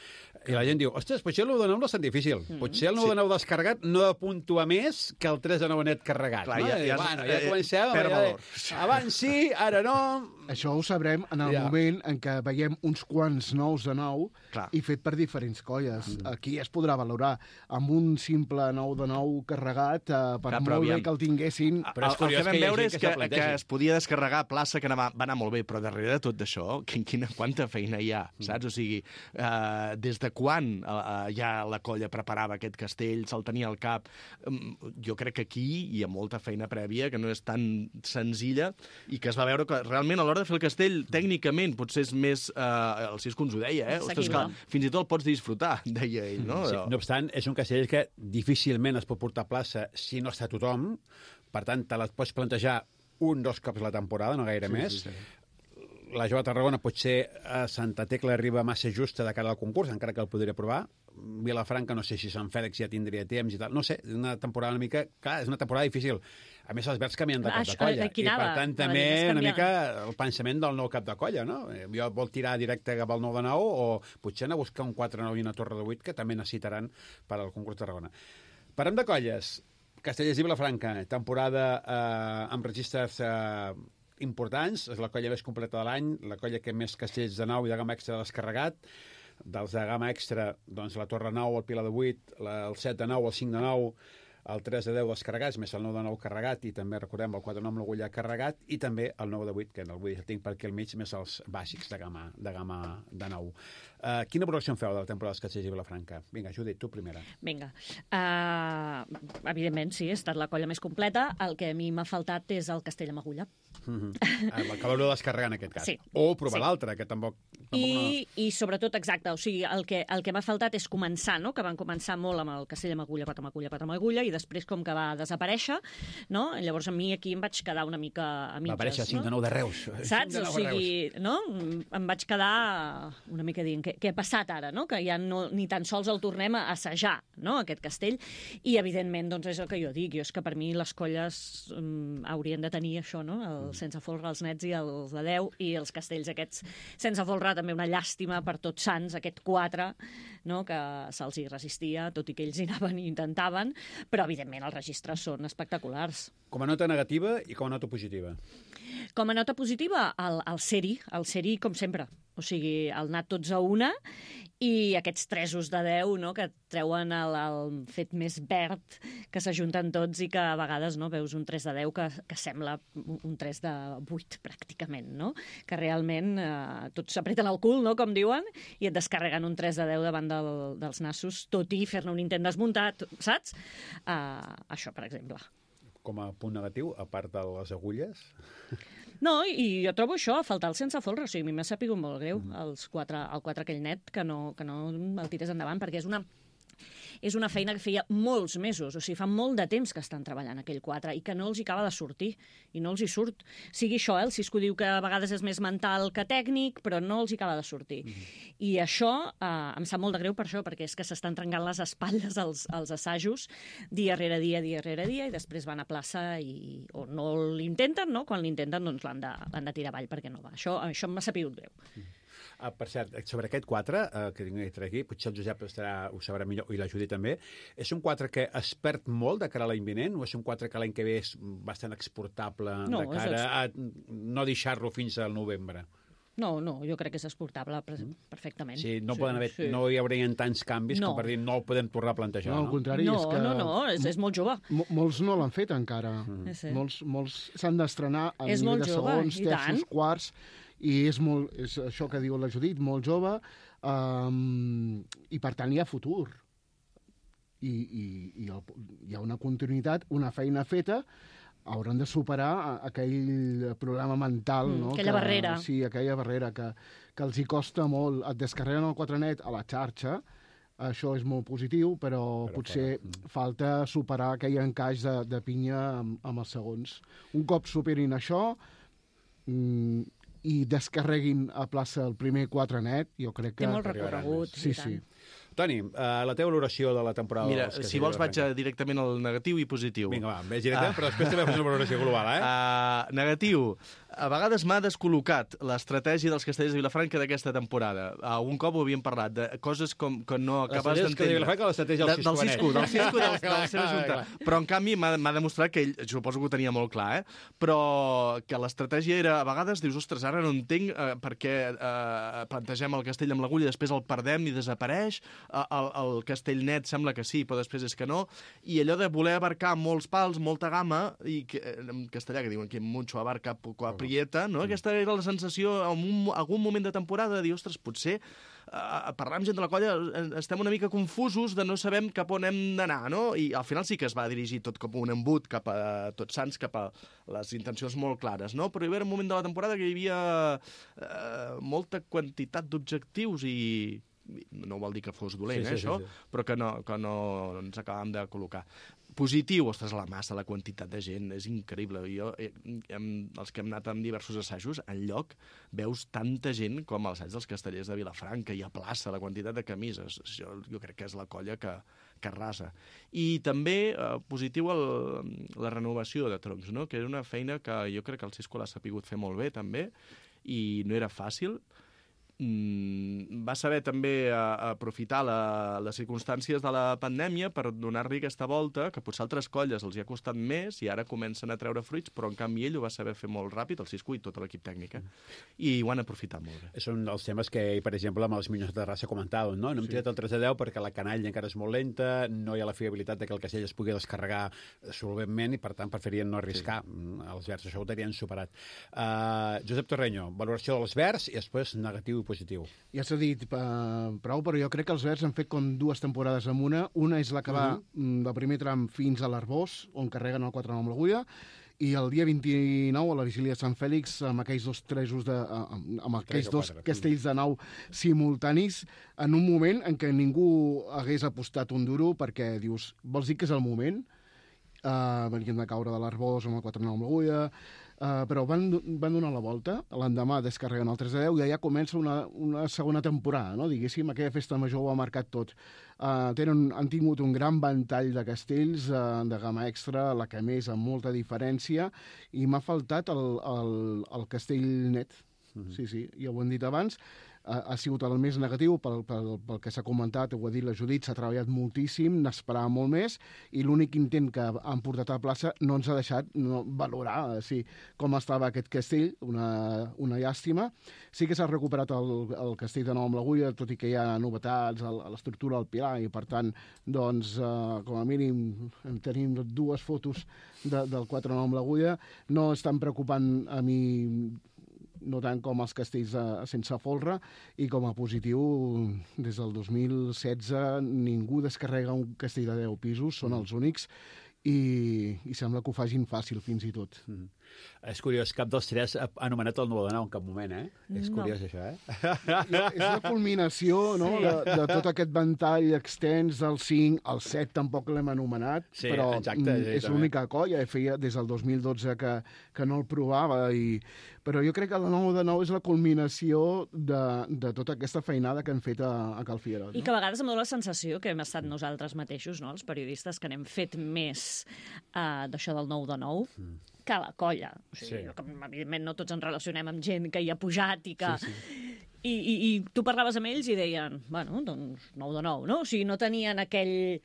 i la gent diu, ostres, potser el 9 de 9 no és tan difícil. Potser el 9 de 9 descarregat no ha de puntuar més que el 3 de 9 net carregat. Clar, ja comencem. Per valor. Abans sí, ara no. Això ho sabrem en el moment en què veiem uns quants 9 de 9 i fet per diferents colles. Aquí es podrà valorar amb un simple 9 de 9 carregat, per molt bé que el tinguessin. Però el que vam veure és que es podia descarregar a plaça, que va anar molt bé, però darrere de tot d'això, quanta feina hi ha, saps? O sigui, des de quan ja la colla preparava aquest castell, se'l tenia al cap. Jo crec que aquí hi ha molta feina prèvia, que no és tan senzilla, i que es va veure que realment a l'hora de fer el castell, tècnicament, potser és més... El Cisco ens ho deia, Ostres, que fins i tot el pots disfrutar, deia ell, no? Sí, no obstant, és un castell que difícilment es pot portar a plaça si no està tothom, per tant, te les pots plantejar 1-2 cops a la temporada, no gaire més. La Jove Tarragona potser a Santa Tecla arriba massa justa de cara al concurs, encara que el podria provar. Vilafranca, no sé si Sant Fèlix ja tindria temps i tal. No sé, és una temporada una mica... Clar, és una temporada difícil. A més, els Verds canvien de cap de colla. I, per tant, també una mica el pensament del nou cap de colla, no? Jo vol tirar directe cap al 9 de 9 o potser anar a buscar un 4-9 i una torre de 8 que també necessitaran per al concurs de Tarragona. Parlem de colles. Castellers i Vilafranca, temporada amb registres importants, és la colla més completa de l'any, la colla que més castells de 9 i de gamma extra descarregat. Dels de gamma extra, doncs la torre 9, el pilar de 8, el 7 de 9, el 5 de 9, el 3 de 10 descarregats, més el 9 de 9 carregat, i també, recordem, el 4 de 9 amb l'agulla carregat, i també el 9 de 8, que el tinc per aquí al mig, més els bàsics de gamma de 9. Quina valoració en feu de la temporada dels Castellers i Vilafranca? Vinga, Judit, tu primera. Vinga. Evidentment, sí, ha estat la colla més completa. El que a mi m'ha faltat és el castell amb agulla. El que l'haureu de descarregar en aquest cas. Sí. O provar l'altre, que tampoc I sobretot, exacte, o sigui, el que m'ha faltat és començar, no?, que van començar molt amb el castell amb agulla, pat amb agulla, i després com que va desaparèixer, no? Llavors a mi aquí em vaig quedar una mica a mitges. Va aparèixer el 5 de 9 de Reus. Saps? O sigui, no? Em vaig quedar una mica dient, què ha passat ara, no? Que ja ni tan sols el tornem a assajar, no?, aquest castell. I, evidentment, doncs és el que jo dic. És que per mi les colles haurien de tenir això, no?, el sense folre, els nets i els de 10, i els castells aquests sense folre, també una llàstima per Tots Sants, aquest 4, no?, que se'ls hi resistia, tot i que ells hi anaven i intentaven, però però evidentment els registres són espectaculars. Com a nota negativa i com a nota positiva. Com a nota positiva, el Seri, com sempre. O sigui, el anat tots a una i aquests 3 de 10, no?, que treuen el fet més verd, que s'ajunten tots i que a vegades veus un 3 de 10 que sembla un 3 de 8, pràcticament, no? Que realment tots s'apreten el cul, no?, com diuen, i et descarreguen un 3 de 10 davant dels nassos, tot i fer-ne un intent desmuntat, saps? Això, per exemple. Com a punt negatiu, a part de les agulles... No, i jo trobo això, a faltar el sense folre. O sigui, a mi m'ha sapigut molt greu el 4 aquell net que no el tirés endavant, perquè és una feina que feia molts mesos, o sigui, fa molt de temps que estan treballant aquell 4 i que no els hi acaba de sortir, i no els hi surt. Sigui això, el Cisco diu que a vegades és més mental que tècnic, però no els hi acaba de sortir. I això em sap molt de greu per això, perquè és que s'estan trencant les espatlles als assajos dia rere dia, i després van a plaça o no l'intenten, no? Quan l'intenten, doncs l'han de tirar avall perquè no va. Això m'ha sapigut greu. Per cert, sobre aquest 4, que tinc aquí, potser el Josep ho sabrà millor, i la Judit també, és un 4 que es perd molt de cara a l'any vinent, o és un 4 que l'any que ve és bastant exportable de cara a no deixar-lo fins al novembre? No, jo crec que és exportable perfectament. Sí, no hi haurien tants canvis com per dir no el podem tornar a plantejar, no? No, al contrari, és que... és molt jove. Molts no l'han fet encara. Molts s'han d'estrenar a nivell de segons, terços, quarts, i és això que diu la Judit, molt jove, i per tant hi ha futur. I hi ha una continuïtat, una feina feta, hauran de superar aquell problema mental, no? Aquella barrera. Sí, aquella barrera que els hi costa molt. Et descarreguen el 4net a la xarxa, això és molt positiu, però potser falta superar aquell encaix de pinya amb els segons. Un cop superin això i descarreguin a plaça el primer 4net, jo crec que... Té molt recorregut, sí, i tant. sí. Toni, la teva valoració de la temporada... Mira, si vols vaig directament al negatiu i positiu. Vinga, va, vés directament, però després també fas una valoració global, Negatiu. A vegades m'ha descol·locat l'estratègia dels Castellers de Vilafranca d'aquesta temporada. Un cop ho havíem parlat, de coses que no acabes d'entendre. De Vilafranca, l'estratègia del Cisco, de la seva junta. Però, en canvi, m'ha demostrat que ell, suposo que ho tenia molt clar, però que l'estratègia era, a vegades, dius, ostres, ara no entenc per què plantegem el castell amb l'agulla i després el perdem i desapareix. El castell net sembla que sí, però després és que no. I allò de voler abarcar molts pals, molta gamma, i en castellà que diuen que mucho abarca poco aprieta, no? Aquesta era la sensació en algun moment de temporada de dir, ostres, potser parlar amb gent de la colla estem una mica confusos de no sabem cap on hem d'anar, no? I al final sí que es va dirigir tot com un embut cap a Tots Sants, cap a les intencions molt clares, no? Però hi va haver un moment de la temporada que hi havia molta quantitat d'objectius i no vol dir que fos dolent, això, però que no ens acabàvem de col·locar. Positiu, ostres, la massa, la quantitat de gent, és increïble. Jo, els que hem anat amb diversos assajos, enlloc veus tanta gent com als assaig dels Castellers de Vilafranca i a plaça, la quantitat de camises. Jo crec que és la colla que arrasa. I també positiu la renovació de troncs, no? Que era una feina que jo crec que el Cisco l'ha sapigut fer molt bé, també, i no era fàcil. Va saber també aprofitar les circumstàncies de la pandèmia per donar-li aquesta volta, que potser altres colles els hi ha costat més i ara comencen a treure fruits, però en canvi ell ho va saber fer molt ràpid, el Cisco i tot l'equip tècnic, i ho han aprofitat molt bé. Són els temes que, per exemple, amb els Minyons de Terrassa comentàvem, no? No hem tirat el 3 de 10 perquè la canalla encara és molt lenta, no hi ha la fiabilitat de que el castell es pugui descarregar solventment i, per tant, preferien no arriscar. Els verds això ho tenien superat. Josep Torreño, valoració dels verds i després negatiu i positiu. Ja s'ha dit prou, però jo crec que els verds han fet com 2 temporades amb una. Una és la que va del primer tram fins a l'Arbós, on carreguen el 4 amb l'agulla, i el dia 29, a la vigília de Sant Fèlix, amb aquells dos castells de nau simultanis, en un moment en què ningú hagués apostat un duro, perquè dius, vols dir que és el moment? Venien de caure de l'Arbós amb el 4 amb l'agulla, però van donar la volta, l'endemà descarreguen el 3 de 10 i allà comença una segona temporada, no? Diguéssim, aquella festa major ho ha marcat tot. Han tingut un gran ventall de castells de gamma extra, la que més amb molta diferència, i m'ha faltat el castell net. Sí, ja ho hem dit abans. ha sigut el més negatiu pel que s'ha comentat, ho ha dit la Judit, s'ha treballat moltíssim, n'esperava molt més, i l'únic intent que han portat a la plaça no ens ha deixat valorar com estava aquest castell, una llàstima. Sí que s'ha recuperat el castell de Nou amb l'Agulla, tot i que hi ha novetats a l'estructura del pilar, i per tant, doncs, com a mínim tenim 2 fotos del 4-9 amb l'Agulla. No estan preocupant a mi no tant com els castells sense folre, i com a positiu, des del 2016 ningú descarrega un castell de 10 pisos, són els únics, i sembla que ho facin fàcil fins i tot. És curiós, cap dels 3 ha anomenat el 9 de 9 en cap moment, eh? És curiós, això, És la culminació de tot aquest ventall extens del 5, el 7 tampoc l'hem anomenat, però és l'única colla, feia des del 2012 que no el provava, però jo crec que el 9 de 9 és la culminació de tota aquesta feinada que hem fet a Cal Figuerola. I que a vegades em dóna la sensació que hem estat nosaltres mateixos, els periodistes, que n'hem fet més d'això del 9 de 9, que la colla. O sigui, evidentment no tots ens relacionem amb gent que hi ha pujat i que... I tu parlaves amb ells i deien, bueno, doncs 9 de 9, no? O sigui, no tenien aquell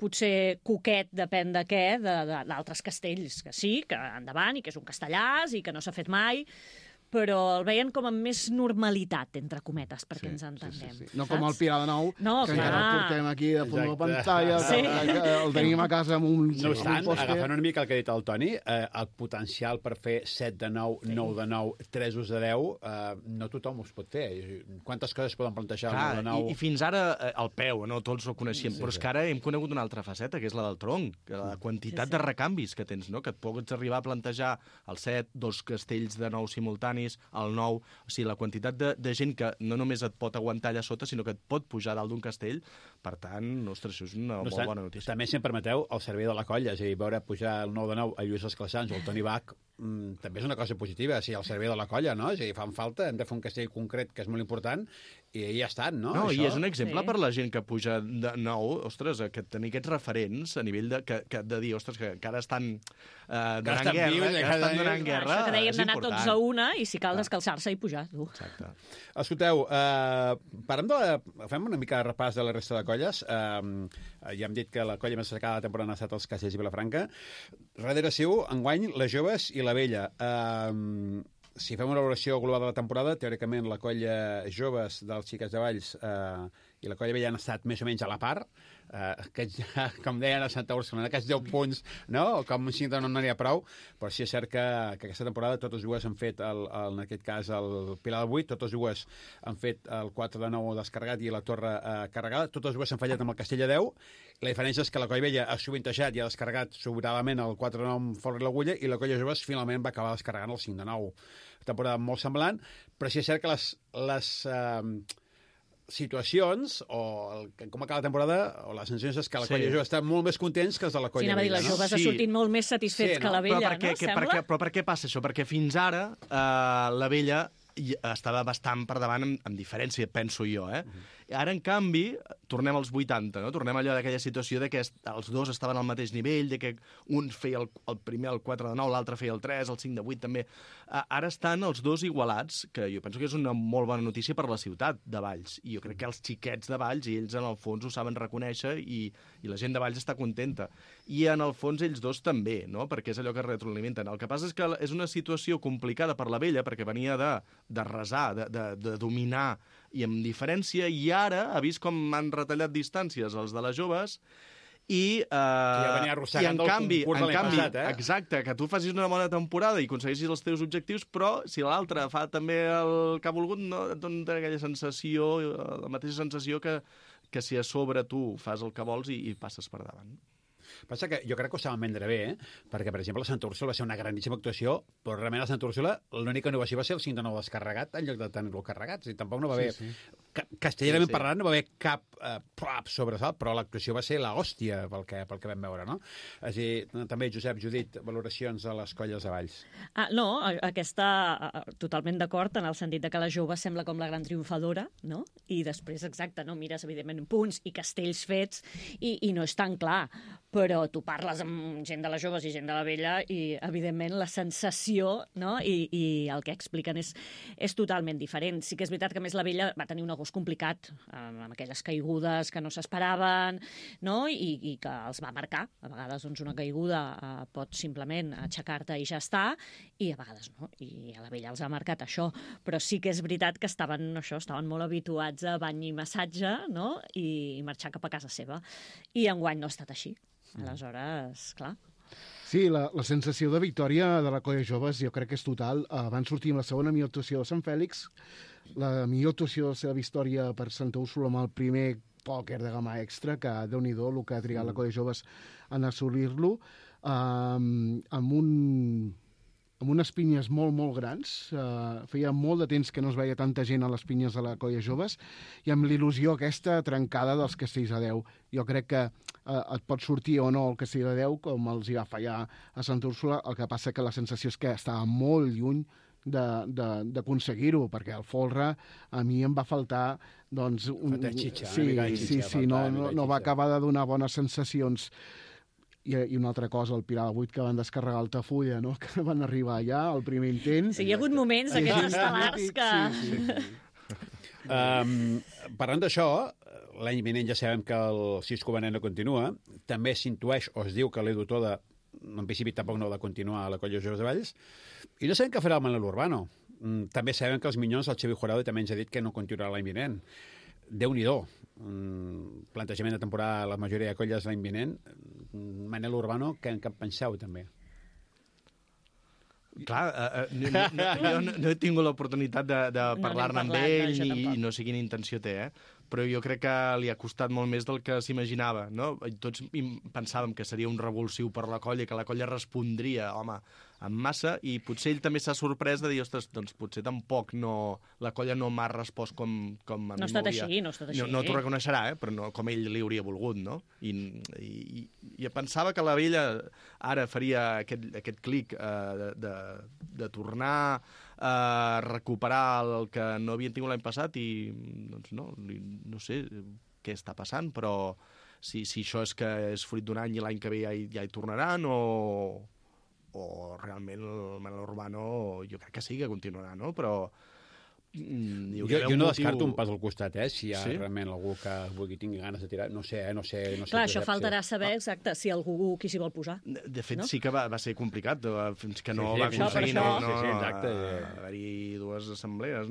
potser coquet, depèn de què, d'altres castells, que sí, que endavant, i que és un castellàs, i que no s'ha fet mai, però el veien com amb més normalitat, entre cometes, perquè ens entenguem. No com el Pilar de Nou, que encara el portem aquí de fons de la pantalla, el tenim a casa amb un... No obstant, agafant una mica el que ha dit el Toni, el potencial per fer 7 de 9, 9 de 9, 3 de 10, no tothom us pot fer. Quantes coses poden plantejar el 9 de 9? I fins ara el peu, no tots ho coneixíem, però és que ara hem conegut una altra faceta, que és la del tronc, la quantitat de recanvis que tens, que et pots arribar a plantejar el 7, 2 castells de 9 simultanis, el 9, o sigui, la quantitat de gent que no només et pot aguantar allà sota, sinó que et pot pujar dalt d'un castell. Per tant, ostres, això és una molt bona notícia. També, si em permeteu, el servei de la colla, és a dir, veure pujar el 9 de 9 a Lluís Esclassans o el Toni Bach, també és una cosa positiva, o sigui, el servei de la colla, no? És a dir, fan falta, hem de fer un castell concret que és molt important, i ja estan, no? No, i és un exemple per la gent que puja de nou, ostres, que tenir aquests referents a nivell de dir, ostres, que encara estan donant guerra, això que dèiem d'anar tots a una, i si cal descalçar-se i pujar, tu. Exacte. Escolteu, fem una mica de repàs de la resta de colles. Ja hem dit que la colla més destacada de la temporada ha estat els Castells i Vilafranca. Darrere seu, enguany, les joves i la vella. Si fem una valoració global de la temporada, teòricament la colla joves dels Xiquets de Valls i la colla vella han estat més o menys a la part. Com deien a Santa Úrsula, aquests 10 punts, no? Com si no n'hi ha prou, però sí és cert que aquesta temporada totes dues han fet, en aquest cas, el Pilar del 8, totes dues han fet el 4 de 9 descarregat i la torre carregada, totes dues s'han fallat amb el Castell de 10. La diferència és que la colla vella ha sovintejat i ha descarregat sobradament el 4 de 9 amb folre i l'agulla, i la colla joves finalment va acabar descarregant el 5 de 9. Temporada molt semblant, però sí és cert que les situacions, o com acaba la temporada, o les sensacions és que la colla jove està molt més contents que els de la colla vella. Sí, les joves ha sortit molt més satisfets que la vella, no? Sembla? Però per què passa això? Perquè fins ara la vella estava bastant per davant amb diferència, penso jo, Ara, en canvi, tornem als 80, no? Tornem allò d'aquella situació de que els dos estaven al mateix nivell, de que un feia el primer el 4 de 9, l'altre feia el 3, el 5 de 8 també. Ara estan els dos igualats, que jo penso que és una molt bona notícia per la ciutat de Valls. I jo crec que els xiquets de Valls, i ells en el fons ho saben reconèixer, i la gent de Valls està contenta. I en el fons ells dos també, no? Perquè és allò que retroalimenten. El que passa és que és una situació complicada per la vella, perquè venia de resar, de dominar, i amb diferència, i ara ha vist com han retallat distàncies els de les joves, i en canvi, exacte, que tu facis una bona temporada i aconsegueixis els teus objectius, però si l'altre fa també el que ha volgut, no et dona aquella sensació, la mateixa sensació que si a sobre tu fas el que vols i passes per davant. Passa que jo crec que ho saben vendre bé, perquè, per exemple, la Santa Úrsula va ser una grandíssima actuació, però realment a Santa Úrsula l'única innovació va ser el 5 de 9 descarregat en lloc de tenir-lo carregat. O sigui, tampoc no va bé. Castellerament parlant no va haver cap sobresalt, però l'actuació va ser l'hòstia pel que vam veure, no? És a dir, també, Josep, Judit, valoracions de les colles de Valls. No, aquesta, totalment d'acord, en el sentit de que la jove sembla com la gran triomfadora, no? I després, exacte, no mires, evidentment, punts i castells fets, i no és tan clar, però tu parles amb gent de les joves i gent de la vella i, evidentment, la sensació, no? I el que expliquen és totalment diferent. Sí que és veritat que, a més, la vella va tenir un agost complicat, amb aquelles caigudes que no s'esperaven, no? I que els va marcar. A vegades doncs, una caiguda pot simplement aixecar-te i ja està, i a vegades no. I a la vella els ha marcat això. Però sí que és veritat que estaven molt habituats a bany i massatge, no? I marxar cap a casa seva. I enguany no ha estat així. Aleshores, clar... Sí, la sensació de victòria de la colla joves jo crec que és total. Van sortir amb la segona millor actuació de Sant Fèlix, la millor actuació de la seva història per Santa Úrsula amb el primer pòquer de gamma extra, que Déu-n'hi-do el que ha trigat la colla joves en assolir-lo, amb unes pinyes molt, molt grans. Feia molt de temps que no es veia tanta gent a les pinyes de la colla joves, i amb l'il·lusió aquesta trencada dels castells a 10. Jo crec que et pot sortir o no el castell a 10, com els hi va fallar a Santa Úrsula. El que passa que la sensació és que estava molt lluny d'aconseguir-ho, perquè el folre a mi em va faltar doncs, no va acabar de donar bones sensacions. I una altra cosa, el Pilar de 8, que van descarregar Altafulla, no? Que van arribar allà al primer intent. Sí, hi ha hagut moments d'aquests estel·lars que... Parlant d'això, l'any vinent ja sabem que el Cisco Benet no continua. També s'intueix, o es diu que l'Edu Toda, en principi tampoc no ha de continuar a la colla Joves de Valls. I no sabem què farà el Manel Urbano. També sabem que els Minyons, el Xavi Jurado, també ens ha dit que no continuarà l'any vinent. Déu-n'hi-do. Plantejament de temporada a la majoria de colles l'any vinent. Manel Urbano, què en penseu, també? Clar, jo no he tingut l'oportunitat de parlar-ne amb ell i no sé quina intenció té, però jo crec que li ha costat molt més del que s'imaginava, no? Tots pensàvem que seria un revulsiu per la colla, que la colla respondria, home, en massa, i potser ell també s'ha sorprès de dir, ostres, doncs potser tampoc la colla no m'ha respost com a mi m'hauria... No ha estat així. No t'ho reconeixerà, però no com ell li hauria volgut, no? I pensava que la vella ara faria aquest clic de tornar a recuperar el que no havien tingut l'any passat i, doncs no sé què està passant, però si això és que és fruit d'un any i l'any que ve ja hi tornaran o realment el Manel Urbano jo crec que sí que continuarà, no? Però jo no descarto un pas al costat, si hi ha realment algú que tingui ganes de tirar, no sé. Clar, això faltarà saber exacte si algú qui s'hi vol posar. De fet, sí que va ser complicat, fins que no va aconseguir haver-hi dues assemblees,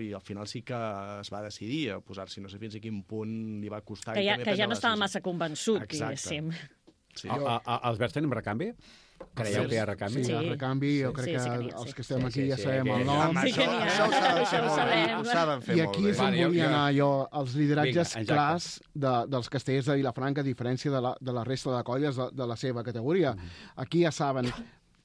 i al final sí que es va decidir a posar-s'hi, no sé fins a quin punt li va costar. Que ja no estava massa convençut, diguéssim. Els Verds tenim recanvi? Creieu que hi ha recanvi? Sí, hi ha recanvi. Jo crec que els que estem aquí ja sabem el nom. Això ho sabem. I aquí és on volia anar jo. Els lideratges clars dels castellers de Vilafranca, a diferència de la resta de colles de la seva categoria. Aquí ja saben...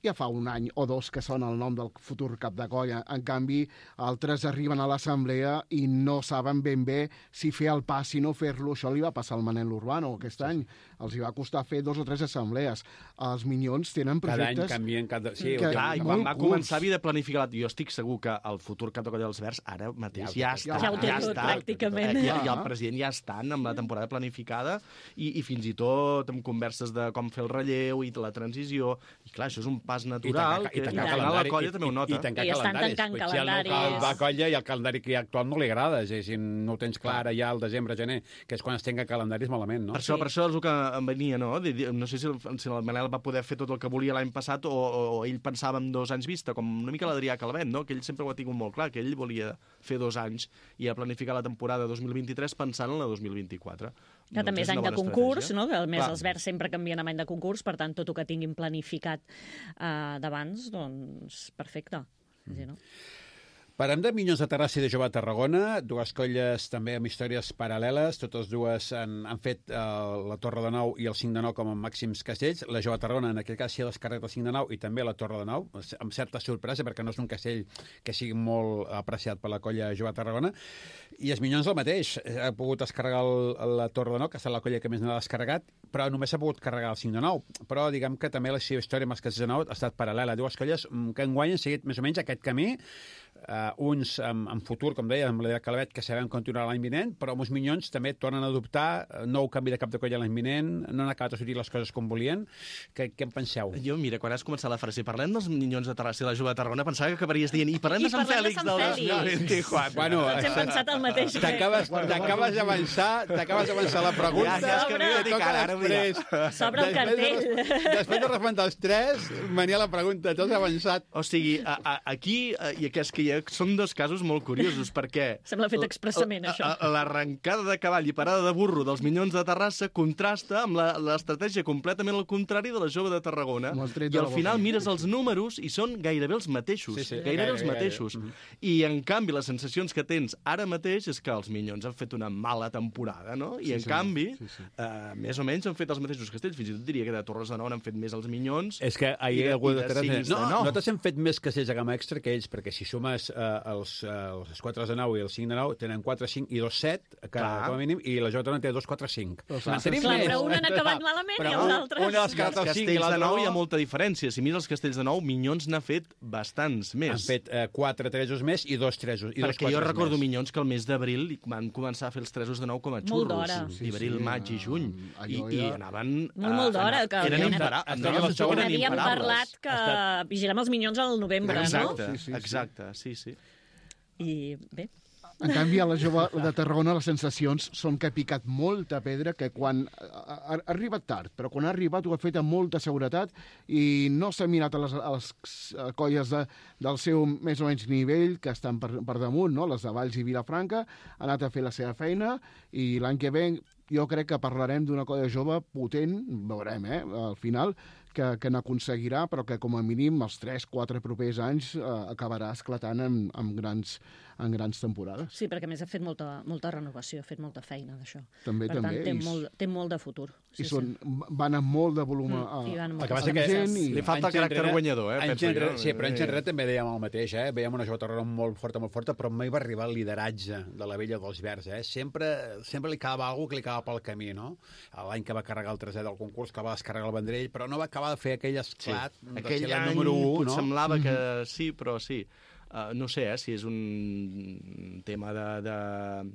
Ja fa un any o dos que sona el nom del futur cap de colla. En canvi, altres arriben a l'assemblea i no saben ben bé si fer el pas, si no fer-lo. Això li va passar al Manel Urbano aquest any. Els hi va costar fer 2 o 3 assemblees. Els Minyons tenen projectes... Cada any canvien... Sí, i quan va començar havia de planificar... Jo estic segur que el futur cap de colla dels Verds ara mateix ja està. Ja ho té tot, pràcticament. I el president ja estan amb la temporada planificada i fins i tot amb converses de com fer el relleu i la transició. I clar, això és un pas natural, i tancar la colla també ho nota. I estan tancant calendaris. Si va colla i el calendari que hi ha actual no li agrada, si no ho tens clar ara ja al desembre, gener, que és quan es tenga calendaris malament, no? Per això és el que em venia, no? No sé si el Manel va poder fer tot el que volia l'any passat o ell pensava en 2 anys vista, com una mica l'Adrià Calvet, no? Que ell sempre ho ha tingut molt clar, que ell volia fer 2 anys i a planificar la temporada 2023 pensant en la 2024. Que també és any de concurs, no? Que a més els Verds sempre canvien amb any de concurs, per tant, tot el que tinguin planificat d'abans, doncs, perfecte. Sí, no? Parlem de Minyons de Terrassa i de Jove de Tarragona, dues colles també amb històries paral·leles, totes dues han fet la Torre de Nou i el 5 de Nou com a màxims castells. La Jove de Tarragona, en aquest cas, s'hi ha descarregat el 5 de Nou i també la Torre de Nou, amb certa sorpresa, perquè no és un castell que sigui molt apreciat per la colla Jove de Tarragona. I els Minyons el mateix. Ha pogut descarregar la Torre de Nou, que ha estat la colla que més n'ha descarregat, però només s'ha pogut carregar el 5 de Nou. Però diguem que també la seva història amb els castells de Nou ha estat paral·lela. Dues colles que enguany han seguit més o menys aquest camí, uns en futur, com deia, amb la Calvet, que sabem continuar l'any vinent, però amb els Minyons també tornen a adoptar nou canvi de cap de colla l'any vinent, no han acabat de sortir les coses com volien. Què en penseu? Jo, mira, quan has començat la frase, parlem dels Minyons de Terrassa i la Jove de Tarragona, pensava que acabaries dient, i parlem de Sant Fèlix del 2024. Bueno, Tots hem pensat el mateix. T'acabes d'avançar la pregunta. Ja és que m'he de dir que ara ho diré. S'obre el cartell. Després de respondre els tres, venia la pregunta, tots avançat. O sigui, aquí, i que és que són dos casos molt curiosos, perquè... Sembla fet expressament, això. L'arrencada de cavall i parada de burro dels Minyons de Terrassa contrasta amb l'estratègia completament al contrari de la Jove de Tarragona. I al final mires els números i són gairebé els mateixos. Gairebé els mateixos. I, en canvi, les sensacions que tens ara mateix és que els Minyons han fet una mala temporada, no? I, en canvi, més o menys han fet els mateixos castells. Fins i tot diria que de Torres de Nou han fet més els Minyons. És que ahir algú de Terrassa... No, nosaltres hem fet més castells de gamma extra que ells, perquè si sumes els 4 de 9 i el 5 de 9 tenen 4, 5 i 2, 7, com a mínim, i la Jove té 2, 4, 5. Clar, però un han acabat malament i els altres... Un dels castells de 9 hi ha molta diferència. Si mires els castells de 9, Minyons n'ha fet bastants més. Han fet 4 tresos més i 2 tresos. Perquè jo recordo Minyons que el mes d'abril van començar a fer els tresos de 9 com a xurros. Molt d'hora. Abril, maig i juny. I anaven... Molt d'hora. Havíem parlat que vigilem els Minyons al novembre, no? Exacte, sí. I bé... En canvi, a la Jove de Tarragona les sensacions són que ha picat molta pedra, que quan ha arribat tard, però quan ha arribat ho ha fet amb molta seguretat i no s'ha mirat a les colles del seu més o menys nivell, que estan per damunt, no? Les de Valls i Vilafranca, ha anat a fer la seva feina i l'any que ve jo crec que parlarem d'una colla jove potent, veurem, al final, que n'aconseguirà, però que com a mínim els 3-4 propers anys acabarà esclatant en grans temporades. Sí, perquè a més ha fet molta renovació, ha fet molta feina d'això. També. Per tant, té molt de futur. I van amb molt de volum a la gent. Li falta el caràcter guanyador, penso jo. Sí, però anys enrere també dèiem el mateix, Veiem una Jove de Tarragona molt forta, però mai va arribar al lideratge de la Vella dels Verds, Sempre li quedava alguna que li quedava pel camí, no? L'any que va carregar el 3è del concurs, que va descarregar el Vendrell, però no va acabar de fer aquell esclat de ser la número 1, no? Semblava que sí, però sí. No sé, si és un tema d'ADN,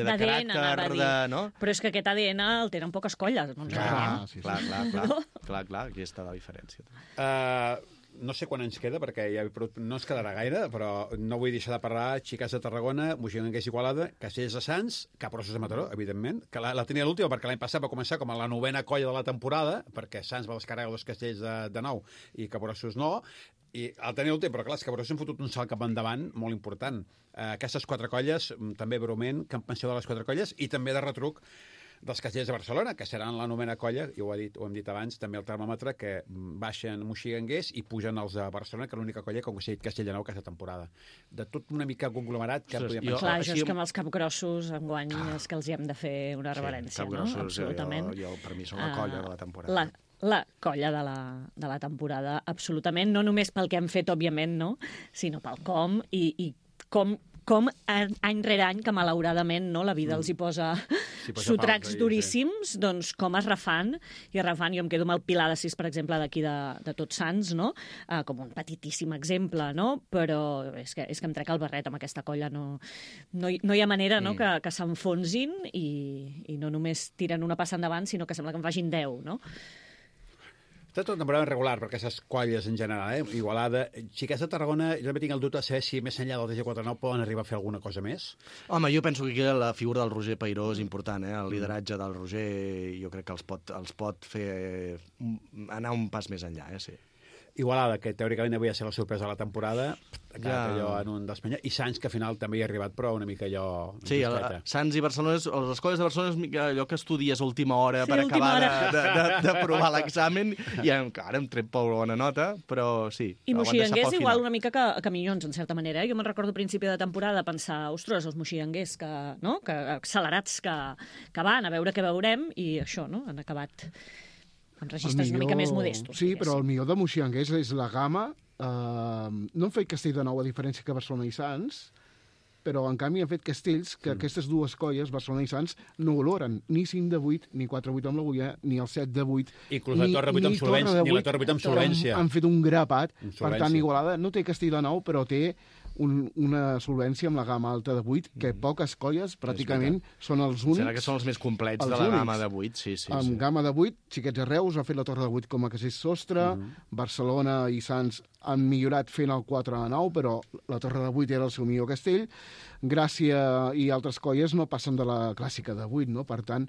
de caràcter, no? Però és que aquest ADN el tenen poques colles. Clar, aquí està la diferència. No sé quan ens queda, perquè ja no ens quedarà gaire, però no vull deixar de parlar Xiques de Tarragona, Moixigranguers Igualada, Castells de Sants, Capgrossos de Mataró, evidentment, que la tenia l'última, perquè l'any passat va començar com a la 9a colla de la temporada, perquè Sants va descarregar 2 castells de 9 i Capgrossos no, i el tenia l'últim, però clar, els Capgrossos han fotut un salt cap endavant molt important. Aquestes 4 colles, també breument, que en penseu de les 4 colles, i també de retruc dels castellers de Barcelona, que seran la 9a colla, i ho hem dit abans, també el termòmetre, que baixen Moixigranguers i pugen els de Barcelona, que l'única colla que ha aconseguit castell de Nou aquesta temporada. De tot una mica conglomerat que podíem pensar. Clar, això és que amb els capgrossos enguany és que els hi hem de fer una reverència, no? Absolutament. Per mi són la colla de la temporada. La colla de la temporada, absolutament, no només pel que han fet, òbviament, no? Sinó pel com i com any rere any, que malauradament no, la vida els hi posa sotracs duríssims, doncs com es refan, jo em quedo amb el Pilar de 6, per exemple, d'aquí de Tots Sants, no? Com un petitíssim exemple, no? Però és que em trec el barret amb aquesta colla, no hi ha manera no? que s'enfonsin i no només tiren una passa endavant, sinó que sembla que en facin 10, no? Està tot una temporada regular per aquestes colles en general, Igualada. Xiques de Tarragona, jo també tinc el dubte de saber si més enllà del TG49 poden arribar a fer alguna cosa més. Home, jo penso que la figura del Roger Peiró és important, El lideratge del Roger jo crec que els pot fer anar un pas més enllà, sí. Igualada, que teòricament havia de ser la sorpresa de la temporada, allò en un dels i Sants, que al final també hi ha arribat, però una mica allò... Sí, Sants i Barcelona, les escoles de Barcelona és allò que estudies a última hora per acabar de provar l'examen, i encara hem tret prou bona nota, però sí. I moxiganguers igual una mica que Minyons, en certa manera. Jo me'n recordo a principi de temporada pensar, ostres, els moxiganguers que accelerats que van a veure què veurem, i això, no? Han acabat amb registres una mica més modestos. Sí, però el millor de moxiganguers és la gamma. No han fet Castelldefels, a diferència que Barcelona i Sants, però en canvi han fet Castells, que aquestes dues colles, Barcelona i Sants, no valoren ni 5 de 8, ni 4-8 amb l'Agulla, ni el 7 de 8, inclús la Torre 8 amb solvència, ni la Torre 8 amb solvència. Han fet un grapat, per tant, Igualada no té Castelldefels, però té una solvència amb la gamma alta de 8, que poques colles, pràcticament, són els únics. Serà que són els més complets de la gamma de 8, sí. Amb gamma de 8, Xiquets de Reus ha fet la Torre de 8 com a casell sostre, Barcelona i Sants han millorat fent el 4 de 9, però la Torre de 8 era el seu millor castell. Gràcia i altres colles no passen de la clàssica de 8, no? Per tant,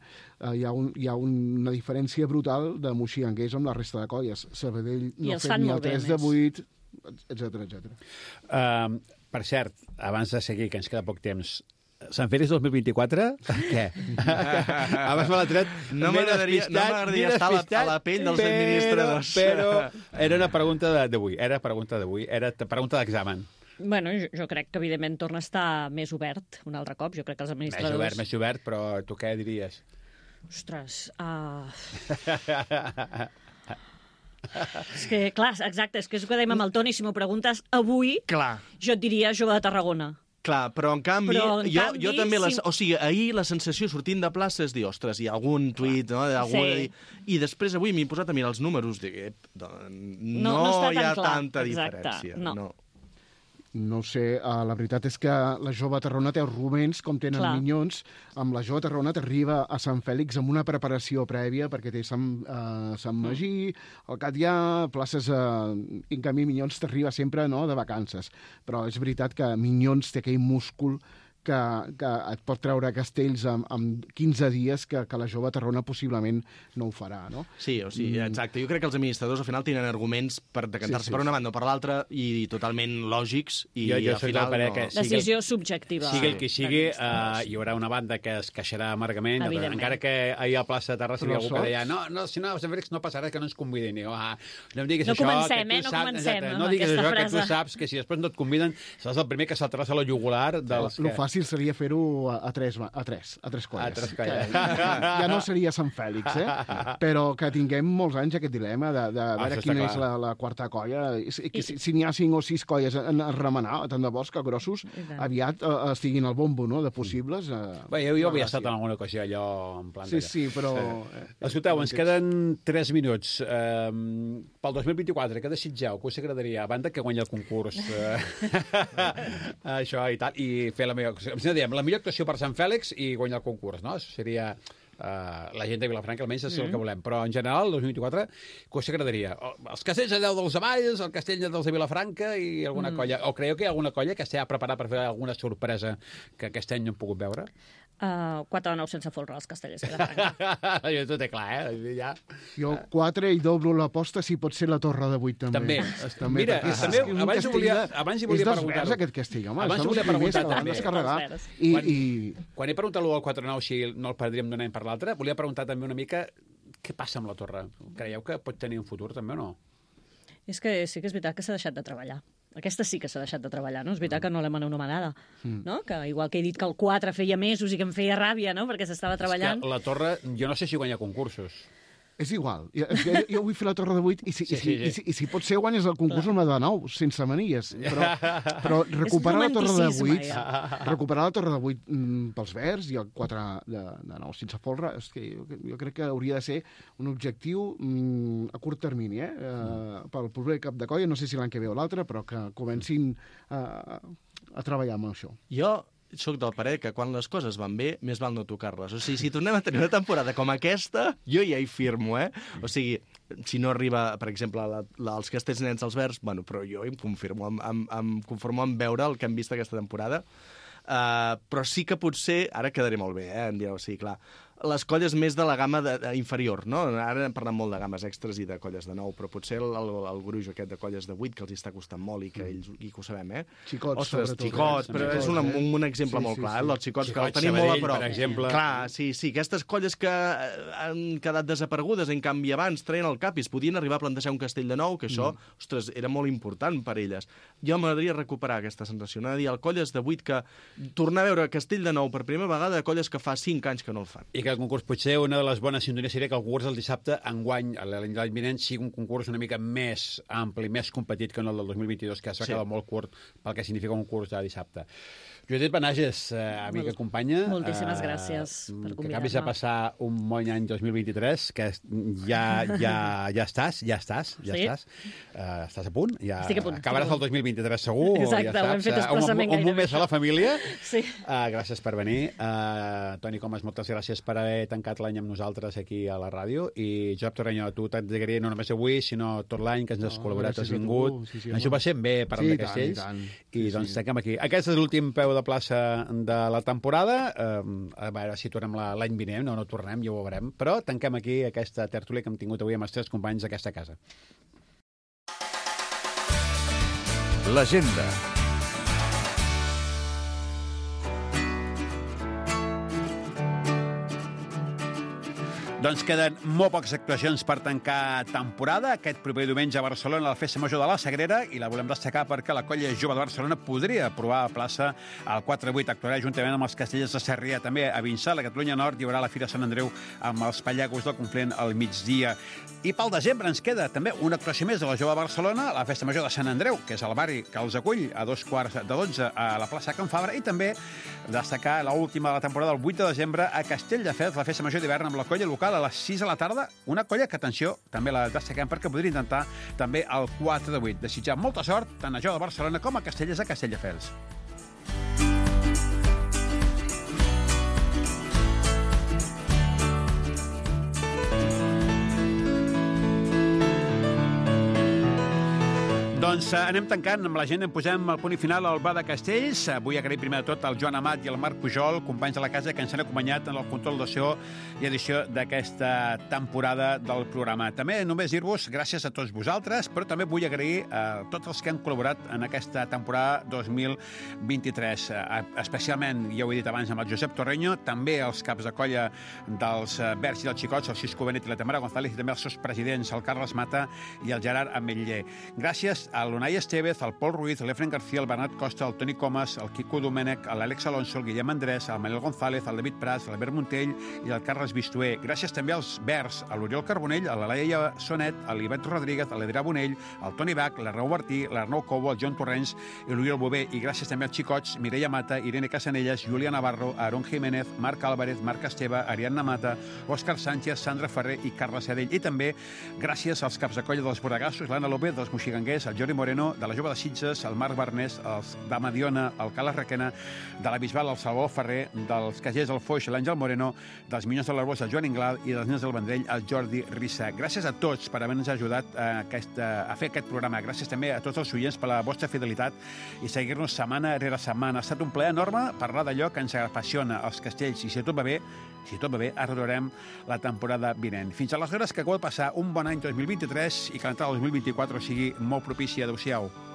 hi ha una diferència brutal de moxiganguers amb la resta de colles. Sabadell no ha fet ni el 3 de 8, etcètera. Per cert, abans de seguir, que ens queda poc temps, Sant Fèlix 2024? Què? Abans me l'ha tret. No m'agradaria estar a la pell dels administradors. Però era una pregunta d'avui. Era pregunta d'examen. Bueno, jo crec que, evidentment, torna a estar més obert un altre cop. Jo crec que els administradors... Més obert, però tu què diries? Ostres... És que, clar, exacte, és que és el que dèiem amb el Toni, si m'ho preguntes avui, jo et diria Jove de Tarragona. Clar, però en canvi, jo també... O sigui, ahir la sensació sortint de plaça és dir, ostres, hi ha algun tuit, no? I després avui m'he posat a mirar els números, no hi ha tanta diferència. No ho sé, la veritat és que la Jove Tarragona té els rumens, com tenen Minyons. Amb la Jove Tarragona t'arriba a Sant Fèlix amb una preparació prèvia, perquè té Sant Magí, el Catllà, places... En canvi, Minyons t'arriba sempre de vacances. Però és veritat que Minyons té aquell múscul que et pot treure castells en 15 dies que la Jove Tarragona possiblement no ho farà, no? Sí, o sigui, exacte. Jo crec que els administradors al final tenen arguments per decantar-se per una banda o per l'altra i totalment lògics. I jo soc del parer que... Decisió subjectiva. Sigui el que sigui, hi haurà una banda que es queixarà amargament, encara que ahir a plaça de Terrassa hi ha algú que deia si no, a Sant Fèlix no passarà, que no ens convidin. No diguis això, no diguis això, que tu saps que si després no et conviden seràs el primer que saltaràs a la jugular dels que... Fàcil seria fer-ho a tres colles. Ja no seria Sant Fèlix, però que tinguem molts anys aquest dilema de veure quina és la quarta colla. Si n'hi ha 5 o 6 colles a remenar, tant de bons que grossos, aviat estiguin al bombo, no?, de possibles. Jo havia estat en alguna ocasió allò en plan... Sí, però... Escolteu, ens queden 3 minuts. Pel 2024, què desitgeu? Què us agradaria? A banda que guanyi el concurs. Això i tal, i fer la millor actuació per Sant Fèlix i guanyar el concurs, no? Això seria la gent de Vilafranca, almenys és el que volem. Però en general, el 2024, què us agradaria? Els castells de Déu dels Avalls, el castell dels de Vilafranca i alguna colla. O creieu que hi ha alguna colla que estigui preparada per fer alguna sorpresa que aquest any no hem pogut veure? 4 de 9 sense folre als castellers de Vilafranca. Jo tot és clar, Ja. Jo 4 i doblo l'aposta si pot ser la Torre de 8 també. Mira, abans hi volia preguntar... És aquest castell, home. Abans hi volia preguntar també. Quan he preguntat l'1 al 4-9 si no el perdríem d'un any per l'altre, volia preguntar també una mica què passa amb la Torre. Creieu que pot tenir un futur també o no? És que sí que és veritat que s'ha deixat de treballar. Aquesta sí que s'ha deixat de treballar, no? És veritat que no l'hem anomenada, no? Que igual que he dit que el 4 feia mesos i que em feia ràbia, no?, perquè s'estava treballant. És que la Torre, jo no sé si guanya concursos. És igual. Jo vull fer la Torre de 8 i si pot ser guanyes el concurs amb la de 9, sense manies. Però recuperar la Torre de 8 pels verds i el 4 de 9 sense folre, és que jo crec que hauria de ser un objectiu a curt termini, pel proper cap de colla, no sé si l'any que ve o l'altre, però que comencin a treballar amb això. Jo soc del parer que quan les coses van bé, més val no tocar-les. O sigui, si tornem a tenir una temporada com aquesta, jo ja hi firmo, O sigui, si no arriba, per exemple, els castells nens als verds, bueno, però jo em conformo amb veure el que hem vist aquesta temporada. Però sí que potser, ara quedaré molt bé, em direu, sí, clar, les colles més de la gamma inferior, no? Ara hem parlat molt de games extres i de colles de 9, però potser el gruix aquest de colles de 8 que els està costant molt i que ells i que ho sabem, Xicots, ostres, sobretot. xicots, però és un exemple molt clar, els xicots que el tenim molt a prop. Per exemple. Clar, sí, aquestes colles que han quedat desaparegudes, en canvi abans treien el cap i es podien arribar a plantejar un castell de nou, que això, ostres, era molt important per elles. Jo m'agradaria recuperar aquesta sensació, no? De dir, el colles de 8 que tornar a veure castell de nou per primera vegada de colles que fa 5 anys que no el fan. I que el concurs, potser una de les bones sintonies seria que el concurs del dissabte, enguany, l'any vinent, sigui un concurs una mica més ampli, més competit que no el del 2022, que s'ha quedat molt curt pel que significa un concurs de dissabte. Judit Benages, amiga, companya. Moltíssimes gràcies per convidar-me. Que acabis de passar un bon any 2023, que ja estàs. Estàs a punt? Estic a punt. Acabaràs el 2023 segur. Exacte, ho hem fet expressament un gairebé. més a la família. Sí. Gràcies per venir. Toni Comas, moltes gràcies per haver tancat l'any amb nosaltres aquí a la ràdio. I Josep Torreño, tu t'agradaria no només avui, sinó tot l'any que ens has col·laborat, has vingut. Ens ho passem bé parlant de castells. I doncs tanquem aquí. Aquest és l'últim peu de plaça de la temporada. A veure si tornem l'any vinent. No tornem, ja ho veurem. Però tanquem aquí aquesta tertúlia que hem tingut avui amb els 3 companys d'aquesta casa. L'agenda. Doncs queden molt poques actuacions per tancar temporada. Aquest proper diumenge a Barcelona, la Festa Major de la Sagrera, i la volem destacar perquè la Colla Jove de Barcelona podria provar a plaça al 4-8. Actuarà juntament amb els Castellers de Sarrià. També a Vinçà, a la Catalunya Nord, hi haurà la Fira Sant Andreu amb els Pallacos del Conflent al migdia. I pel desembre ens queda també una actuació més de la Jove de Barcelona, la Festa Major de Sant Andreu, que és el barri que els acull a 2:45 a la plaça Can Fabra, i també destacar l'última de la temporada, el 8 de desembre, a Castelldefels, la Festa Major d'hivern amb la colla local a les 6 de la tarda, una colla que, atenció, també la destaquem perquè podria intentar també el 4-8. Desitjar molta sort tant a Jove de Barcelona com a Castellers a Castelldefels. Doncs anem tancant amb l'agenda, posem el punt i final al Bar de Castells. Vull agrair primer de tot al Joan Amat i al Marc Pujol, companys de la casa, que ens han acompanyat en el control de so i edició d'aquesta temporada del programa. També només dir-vos gràcies a tots vosaltres, però també vull agrair a tots els que han col·laborat en aquesta temporada 2023. Especialment, ja ho he dit abans, amb el Josep Torreño, també els caps de colla dels Verds i dels Xicots, el Xisco Benet i la Tamara González, i també els seus presidents, el Carles Mata i el Gerard Ametller. Gràcies a l'Unai Estevez, al Pol Ruiz, l'Efren García, el Bernat Costa, el Toni Comas, el Quico Domènech, l'Àlex Alonso, el Guillem Andrés, el Manel González, el David Prats, l'Albert Montell i el Carles Bistuer. Gràcies també als Verds, a l'Oriol Carbonell, a la Laia Sonet, a l'Ivet Rodríguez, a l'Adrià Bonell, al Toni Bach, l'Arnau Martí, l'Arnau Cobo, el Joan Torrents i l'Oriol Bové. I gràcies també als Xicots, Mireia Mata, Irene Casanelles, Júlia Navarro, Aaron Jiménez, Marc Álvarez, Marc Esteve, Ariadna Mata, Òscar Sánchez, Sandra Ferrer i Carles Sedell. I també gràcies als caps de colla dels Borregassos, l'Anna López, dels Moxiganguers, el Jordi Moreno, de la Jove de Sitges, el Marc Barnés, els de Mediona, el Carles Requena, de la Bisbal, el Salvador Ferrer, dels Cagers, el Foix, l'Àngel Moreno, dels Minyons de l'Arbós, el Joan Inglal, i dels Nens del Vendrell, el Jordi Rissa. Gràcies a tots per haver-nos ajudat a fer aquest programa. Gràcies també a tots els oients per la vostra fidelitat i seguir-nos setmana rere setmana. Ha estat un plaer enorme parlar d'allò que ens apassiona, els castells, i si tot va bé, arreglarem la temporada vinent. Fins aleshores, que acabeu de passar un bon any 2023 i que l'entrada del 2024 sigui molt propícia. Adéu-siau.